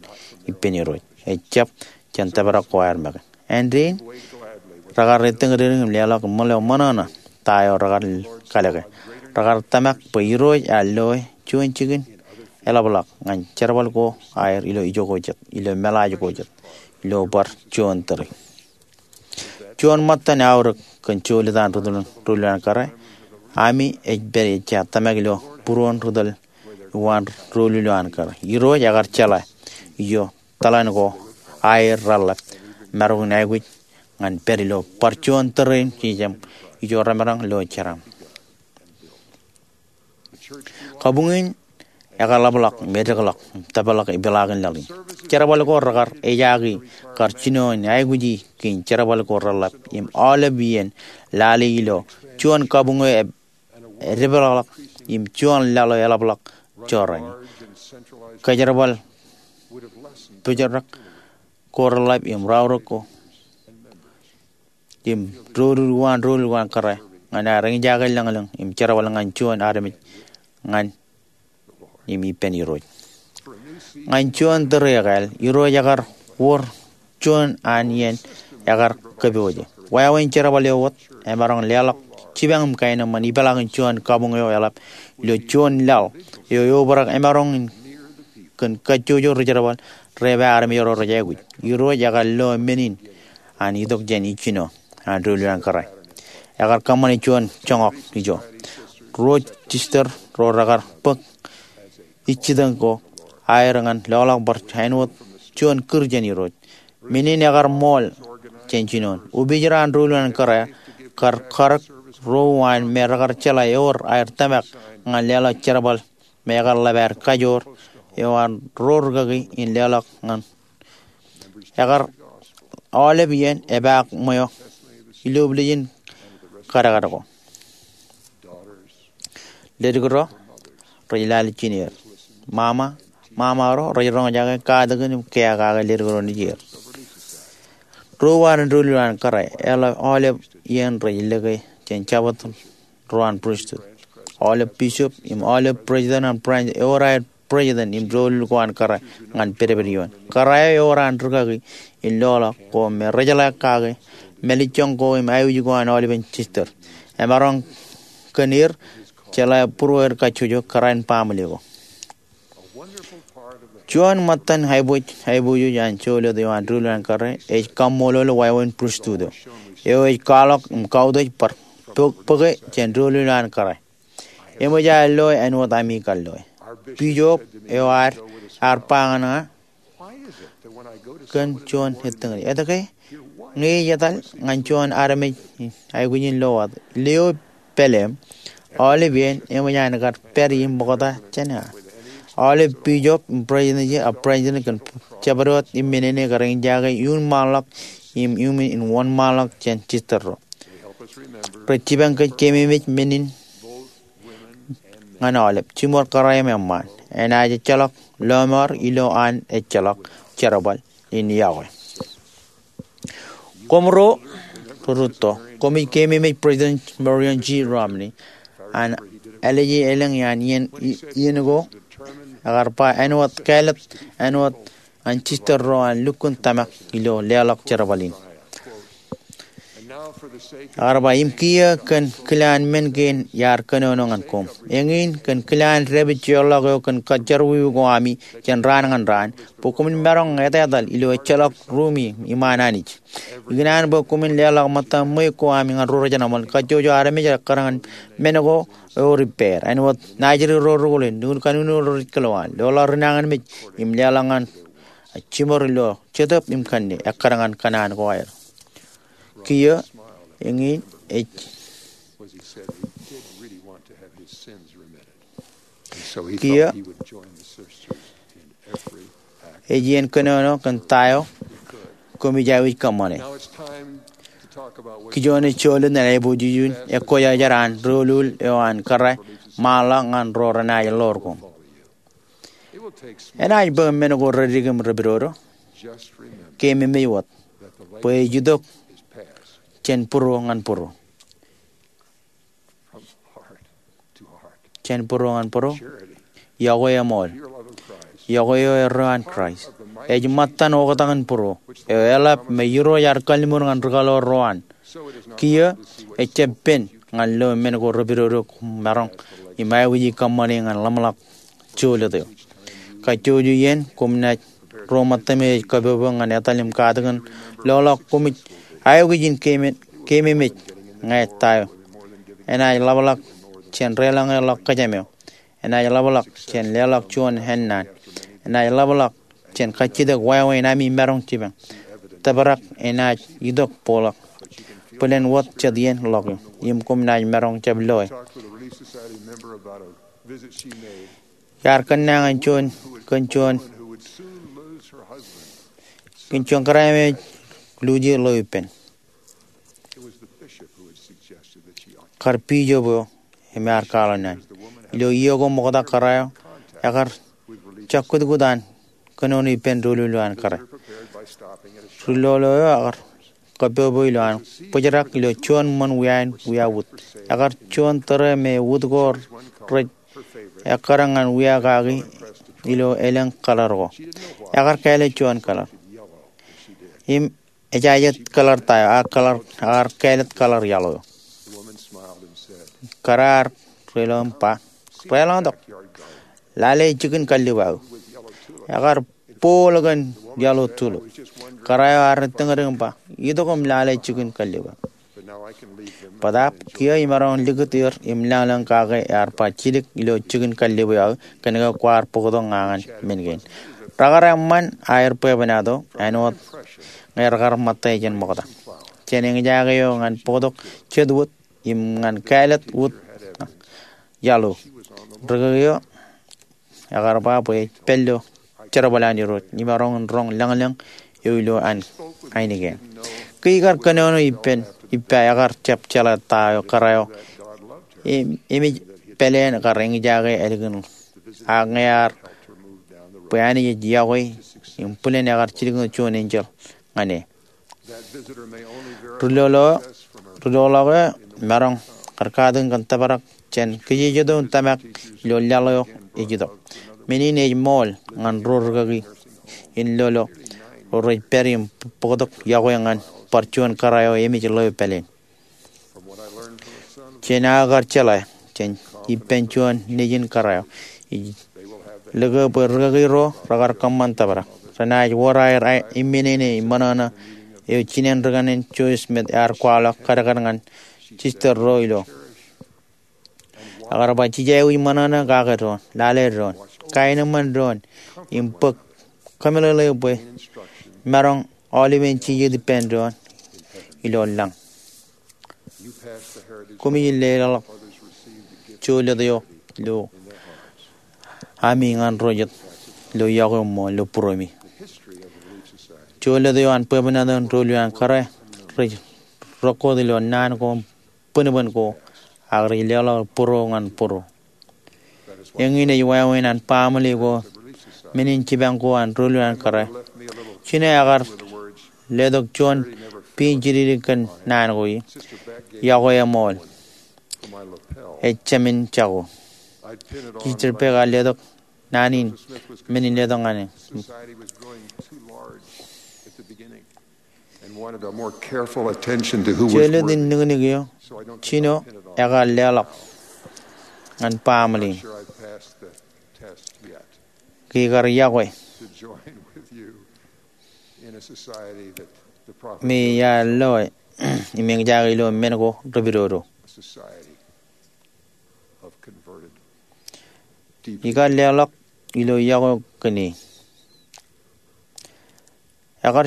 ippān Irooj. Ejjab jān tōprak ko aer make. Āindein rekar ettōñdedōñ im leḷọk ṃōṇōṇō ta eo rekar kalōke. Rekar tōmak bwe Irooj ear loe juon jikin eḷapḷọk ñan jerbal ko aer ilo ijo ko jet, ilo meḷaaj ko jet, ilo bar juon tōre. Juon ṃōttan aorōk kōn jolōt an ri tōl doulul an kōrā, ami ej pād ejja tōmak ilo būruon ri tōl uwaan doulul eo an kōrā. Irooj ekar jeḷā ijo tōḷan ko aer reḷḷap maroñ in aikuj ñan pād ilo bar juon tōre in jejjab ijo remaroñ lo jeraaṃ. Kabuñ in ekaḷapḷọk im edekḷọk im tōpḷọk ipeḷaakin laḷ in. Jerbal ko rekar ejaki kar jino in aikuji kein jerbal ko reḷḷap im aolep iien lale ilo juon kabuñ eo edepeḷḷọk im juon laḷ eo eḷapḷọk jorrāān. Kōjerbal pojrak ko reḷḷap im raorōk ko im doulul uwaan doulul uwaan kōrā ñan aer eñjake lañlōñ im jerbal ñan juon armej ñan im ippān Irooj. Ñan juon tōre ekāāl, Irooj ekar wōr juon an iien ekar kōpooje. Wāween jerbal eo wōt emaroñ leḷọk jipañ im kaenōṃṃan ipeḷaakin juon kabuñ eo eḷap ilo juon laḷ eo eobrak emaroñ in kōn kajjojo ri-jerbal rej ba armej ro rej aikuj. Irooj ekar lo men in an itok jān ijjino an doulul an kōrā. Ekar kōṃṃane juon joñak ijo. Ro sister ro rekar bōk ijjitōñ ko aer ñan loḷọk bar āinwōt juon kūr jān Irooj. Men in ekar ṃool jān jinoin. Opiij ro an doulul an kōrā kar karōk ro uwaan me rekar jeḷā ewōr aer tōmak ñan leḷọk jerbal me ekar ḷap aer kajoor eo an ro rūkaki in leḷọk ñan ekar aolep iien epaak ṃweo ilo blejin kadkad ko. Ledik ro rej lale jineer. Mama, mama ro rej roñjake katakin im kea kake ledik ro nejier. Ro uwaan doulul an kōrā eḷap aolep iien rej lōke jān jabōt ro an pristut. Aolep bishop im aolep president an branch ewōr aer president im doulul ko an kōrā ñan pedped ioon. Kōrā eo ewōr an rūkaki in loḷọk ko me rejeḷā kake mālejjoñ ko im aikuj ko an aolepen sister. Emaroñ kōn er jeḷā būrueer kajjojo kōrā in baaṃle ko. Juon ṃōttan aiboojoj an joulit eo an doulul an kōrā ej kaṃṃoolol wāween pristut eo ej kwaḷọk im kautiej bar bōke jān doulul an kōrā. Eṃōj aer loe āinwōt ami kar loe. Bishop eo ad ar ba ñan ña kōn juon ettōñin, etke ñe ij etal ñan juon armej aikuj in lo wōt, lio pāleem, aolep iien eṃōj an kar pād im ṃokta jān ña. Aolep bishop im president, a president kōn jabdewōt im men in ekar eñjake iuṃwin ṃaanḷọk im iuṃwin wōnṃaanḷọk jān sister ro. Rej jipañ kōj keememej men in ñan aolep, jiṃor kōrā im eṃṃaan. Enaaj ejjeḷọk lọmọọr ilo an ejjeḷọk jerbal in iọkwe. Koṃ ro rūtto, koṃij keememej President Marion G. Romney an ālije elōñ iaan iien, iien ko ekar ba āinwōt kāālōt āinwōt an sister ro an lukkuun tōmak ilo leḷọk jerbal in. Ekar ba, im kiiō kōn kilaan men kein iar kōnono ñan koṃ. Eñin kōn kilaan dāpij jeorḷọk eo kōn kajjitōk ko ami jān raan ñan raan, bwe koṃwin maroñ etetal ilo ejjeḷọk ruumi iṃaan Anij. Ikōṇaan bwe koṃwin leḷọk ṃōttan ṃweiuk ko ami ñan ro rej jenaṃōl, kajjojo armej ekkar ñan men ko ewōr ippāer. Āinwōt naajdik ro rūkūḷ in, lukkuun kanukū ro rej kōḷwaan, loḷọk rinañinmej im leḷọk ñan jiṃor ilo Jetōb im kanne ekkar ñan kōṇaan ko aer. Kiiō, eñin ej, kiiō, ej iien kōnono kōn ta eo koṃij aikuj kōṃṃane. Kijoone jolōt ñan aiboojoj in ekkojak jar an doulul eo an kōrā ṃaanḷọk ñan ro renaaj ḷoor koṃ. Enaaj bōk men ko reddik im repidodo. Keememej wōt bwe ej itok jān būruo ñan būruo. Jān būruo ñan būruo. Iọkwe eṃool. Iọkwe eo erreo an Kraist ej ṃōttan oktak in būruo eo eḷap me Irooj ear kalliṃur ñan ri kaḷoor ro an. Kiiō, ejjab pen ñan lo men ko repidodo koṃ maroñ im aikuji kōṃṃane ñan ḷōmṇak jolōt eo. Kajjojo iien koṃ naaj ro ṃōttami ej kapopo ñan etal im katakin loḷọk koṃij aikuj in keememej ñe ta eo. Enaaj ḷapḷọk jān deḷọñe ḷọk kōjām eo. Enaaj ḷapḷọk jān leḷọk juon ennaan. Enaaj ḷapḷọk jān kajjitōk wāween ami maroñ jipañ. Tōprak enaaj itok bōkḷọk bōlen wōt jet iien ḷọk eo im koṃ naaj maroñ jab loe. Iar kōnnañin juon, kōn juon, kōn juon kōrā me ej luuji ḷeo ippān. Kar bishop eo im ear kwaḷọk naan. Ilo iiō ko ṃokta kōrā eo ekar jab kutkut an kōnono ippān doulul eo an kōrā. Ri lolo eo ekar kapopo ilo an bōjrak ilo juon ṃōn wiain wiawūt. Ekar juon tōre me wūt ko rej ekkar ñan wia kaki ilo elōñ kaḷar ko. Ekar kāālōt juon kaḷar. Im ejajet kaḷar ta eo, ak kaḷar, ekar kāālōt kaḷar iaḷ eo. Kōrā ear deḷọñ im ba, deḷọñtok. Lale jikin kallib aō. Ekar bool kōn iaḷ eo tulip. Kōrā eo ear ettōñdik im ba, itok im lale jikin kallib aō. Bōtaab kiiō imaroñ likūt er im lañlōñ kake ear ba jidik ilo jikin kallib eo aō kōnke kwaar bōktok ña ñan men kein. Rekar eṃṃan aer bwebwenato āinwōt ñe rekar ṃōtta jān ṃokta. Jān eñjake eo ñan bōktok jet wōt im ñan kāālōt wōt iaḷ eo. Rikaki eo ekar ba bwe ej pād ilo jerbal an Irooj imaroñ in roñ lañlōñ eo ilo an ainikien. Ke ikar kōnono ippān, ippa ekar jab jeḷā ta eo kōrā eo im, im ej pāleen kar eñjake ālikin ak ñe ear bwe Anij ej yokwe im bwilen ekar jidik ṇe juon enjeḷ ñan e. Ri-lolo, ri-lolo eo maroñ kar katakin kōn tōprak jān kajejjet eo in tōmak ilo laḷ eo ej itok. Men in ej ṃool ñan ro rikaki in lolo ro rej pād im bōktok yokwe ñan bar juon kōrā eo emej ḷeo pāleen. Jān aō kar jeḷā jān ippān juon nejin kōrā eo, ij lōke bwe rikaki ro rekar kōṃṃan tōprak. Renaaj wōr aer imminene im ṃōṇōṇō eo jined ri kanen Joseph Smith ear kwaḷọk kadkad ñan sister ro ilo. Ekar ba, jej aikuj ṃōṇōṇō kake doon, lale doon, kaenōṃṃan doon, im bōk kōmeḷeḷe bwe maroñ aolepen jijet ippān doon ilo lañ. Koṃij leḷọk jolōt eo ilo ami ñan ro jet ilo yokwe eo ṃool ilo būruemi. Jolōt eo an bwebwenato in doulul an kōrā rej rōkkot ilo naan ko im bōnbōn ko ak rej leḷọk būro ñan būro. Eñin ej wāween an baaṃle ko, men in jipañ ko an doulul an kōrā. Jino ekar letok juon piin jidikdik kōn naan ko ie, yokwe eṃool ej jāmin jako. Sister Beck ear letok naan in, men in letok ñan e. Jolōt in niknik eo jino ekar leḷọk ñan baaṃle in ke ikar yokwe me iar loe im eñjake ilo men ko repidodo. Ikar leḷọk ilo yokwe kōn e. Ekar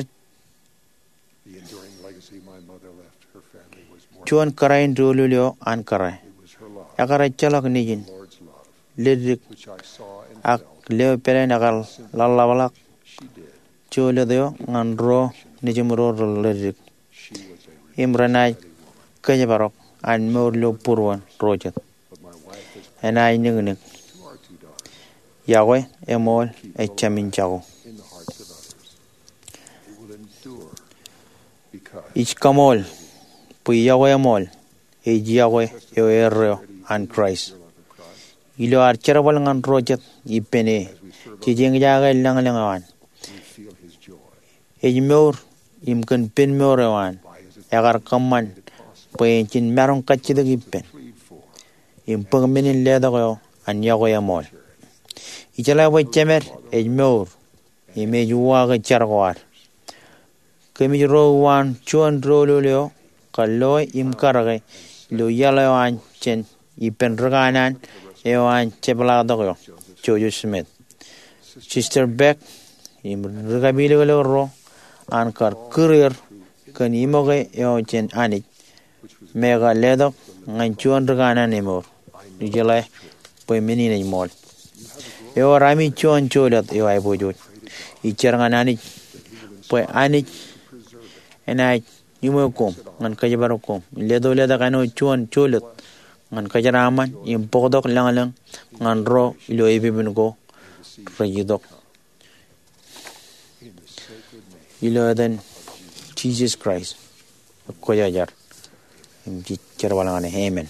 juon kōrā in doulul eo an kōrā. Ekar ejjeḷọk nejin leddik ak leo pāleen ekar ḷōḷḷapḷọk jolōt eo ñan ro nejimro ro leddik im renaaj kōjparok an mour ilo būruon ro jet. Enaaj niknik, yokwe eṃool ej jāmin jako. Ij kaṃool bwe yokwe eṃool ej yokwe eo erreo an Kraist. Ilo ad jerbal ñan ro jet ippān e, jej eñjake lañlōñ eo an. Ej mour im kōn pen mour eo an, ekar kōṃṃan bwe en jin maroñ kajjitōk ippān im bōk men in letok eo an yokwe eṃool. Ijeḷā bwe Jemed ej mour im ej uwaake jar ko ad. Kōmij ro uwaan juon doulul eo kar loe im karōke ilo iaḷ eo an jān ippān ri kanaan eo an jepḷaaktok eo, Joseph Smith. Sister Beck im ri kapilōklōk ro an kar kūr er kōn iṃōke eo jān Anij me ekar letok ñan juon ri kanaan emour. Ijeḷā bwe men in ej ṃool. Ewōr ami juon jolōt eo aiboojoj. Ij jar ñan Anij bwe Anij enaaj iṃwe koṃ ñan kōjparok koṃ in leto letok āinwōt juon jolōt ñan kōjeraaṃṃan im bōktok lañlōñ ñan ro ilo epepen ko rej itok. Ilo etan Jisōs Kraist, kwōjarjar im jej jerbal ñan e. Amen.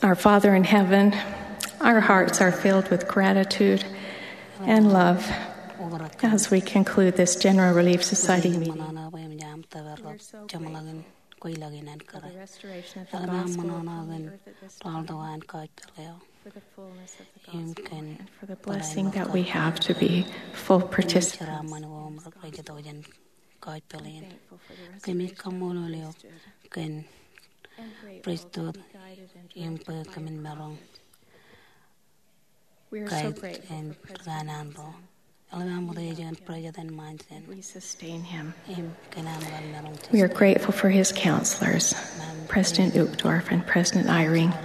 Our Father in heaven, our hearts are filled with gratitude and love as we conclude this General Relief Society meeting. We're so grateful for the restoration of the gospel upon the earth at this time, for the fullness of the gospel, and for the blessing that we have to be full participants. We're thankful for the restoration of the priesthood and grateful for the guided and directed life. We are so grateful for President Monson. We sustain him. We are grateful for his counselors, President Uchtdorf and President Eyring.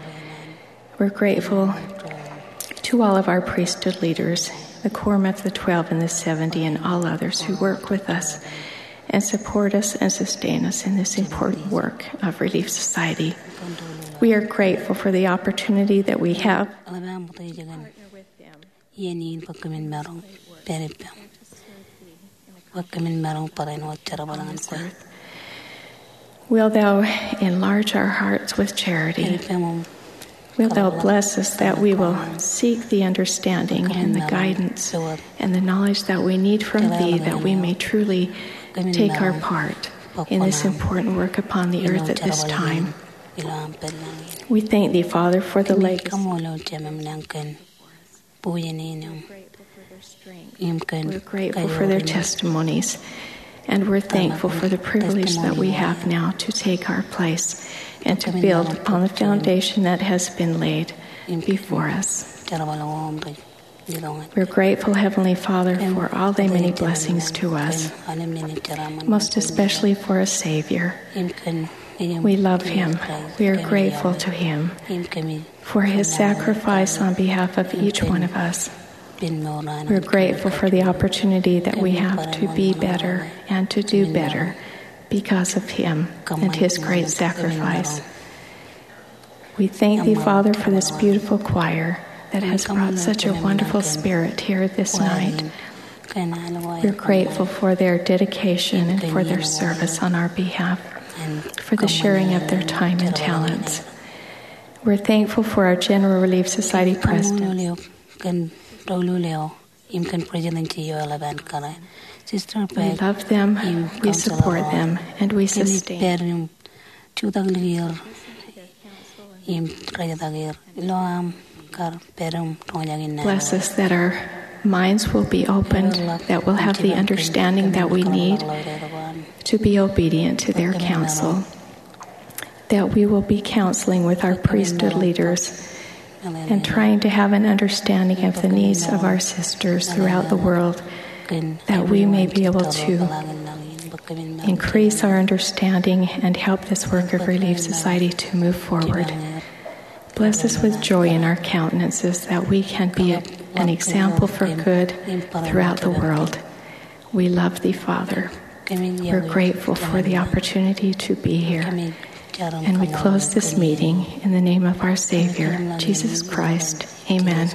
We're grateful to all of our priesthood leaders, the Quorum of the Twelve and the Seventy, and all others who work with us and support us and sustain us in this important work of Relief Society. We are grateful for the opportunity that we have. Ien in bwe kōmin maroñ pād ippaṃ, bwe kōmin maroñ bōran wōt jerbal ñan kwe. Wilt thou enlarge our hearts with charity? Wilt thou bless us that we will seek the understanding and the guidance and the knowledge that we need from thee, that we may truly take our part in this important work upon the earth at this time? We thank thee, Father, for the legacy. We're grateful for their testimonies, and we're thankful for the privilege that we have now to take our place and to build upon the foundation that has been laid before us. We're grateful, Heavenly Father, for all thy many blessings to us, most especially for a Savior. We love him. We are grateful to him for his sacrifice on behalf of each one of us. We're grateful for the opportunity that we have to be better and to do better because of him and his great sacrifice. We thank thee, Father, for this beautiful choir that has brought such a wonderful spirit here this night. We're grateful for their dedication and for their service on our behalf, for the sharing of their time and talents. We're thankful for our General Relief Society president. We love them, we support them, and we sustain. Bless us that our minds will be opened, that we'll have the understanding that we need to be obedient to their counsel, that we will be counseling with our priesthood leaders and trying to have an understanding of the needs of our sisters throughout the world, that we may be able to increase our understanding and help this work of Relief Society to move forward. Bless us with joy in our countenances, that we can be an example for good throughout the world. We love thee, Father. We're grateful for the opportunity to be here. And we close this meeting in the name of our Savior, Jesus Christ. Amen.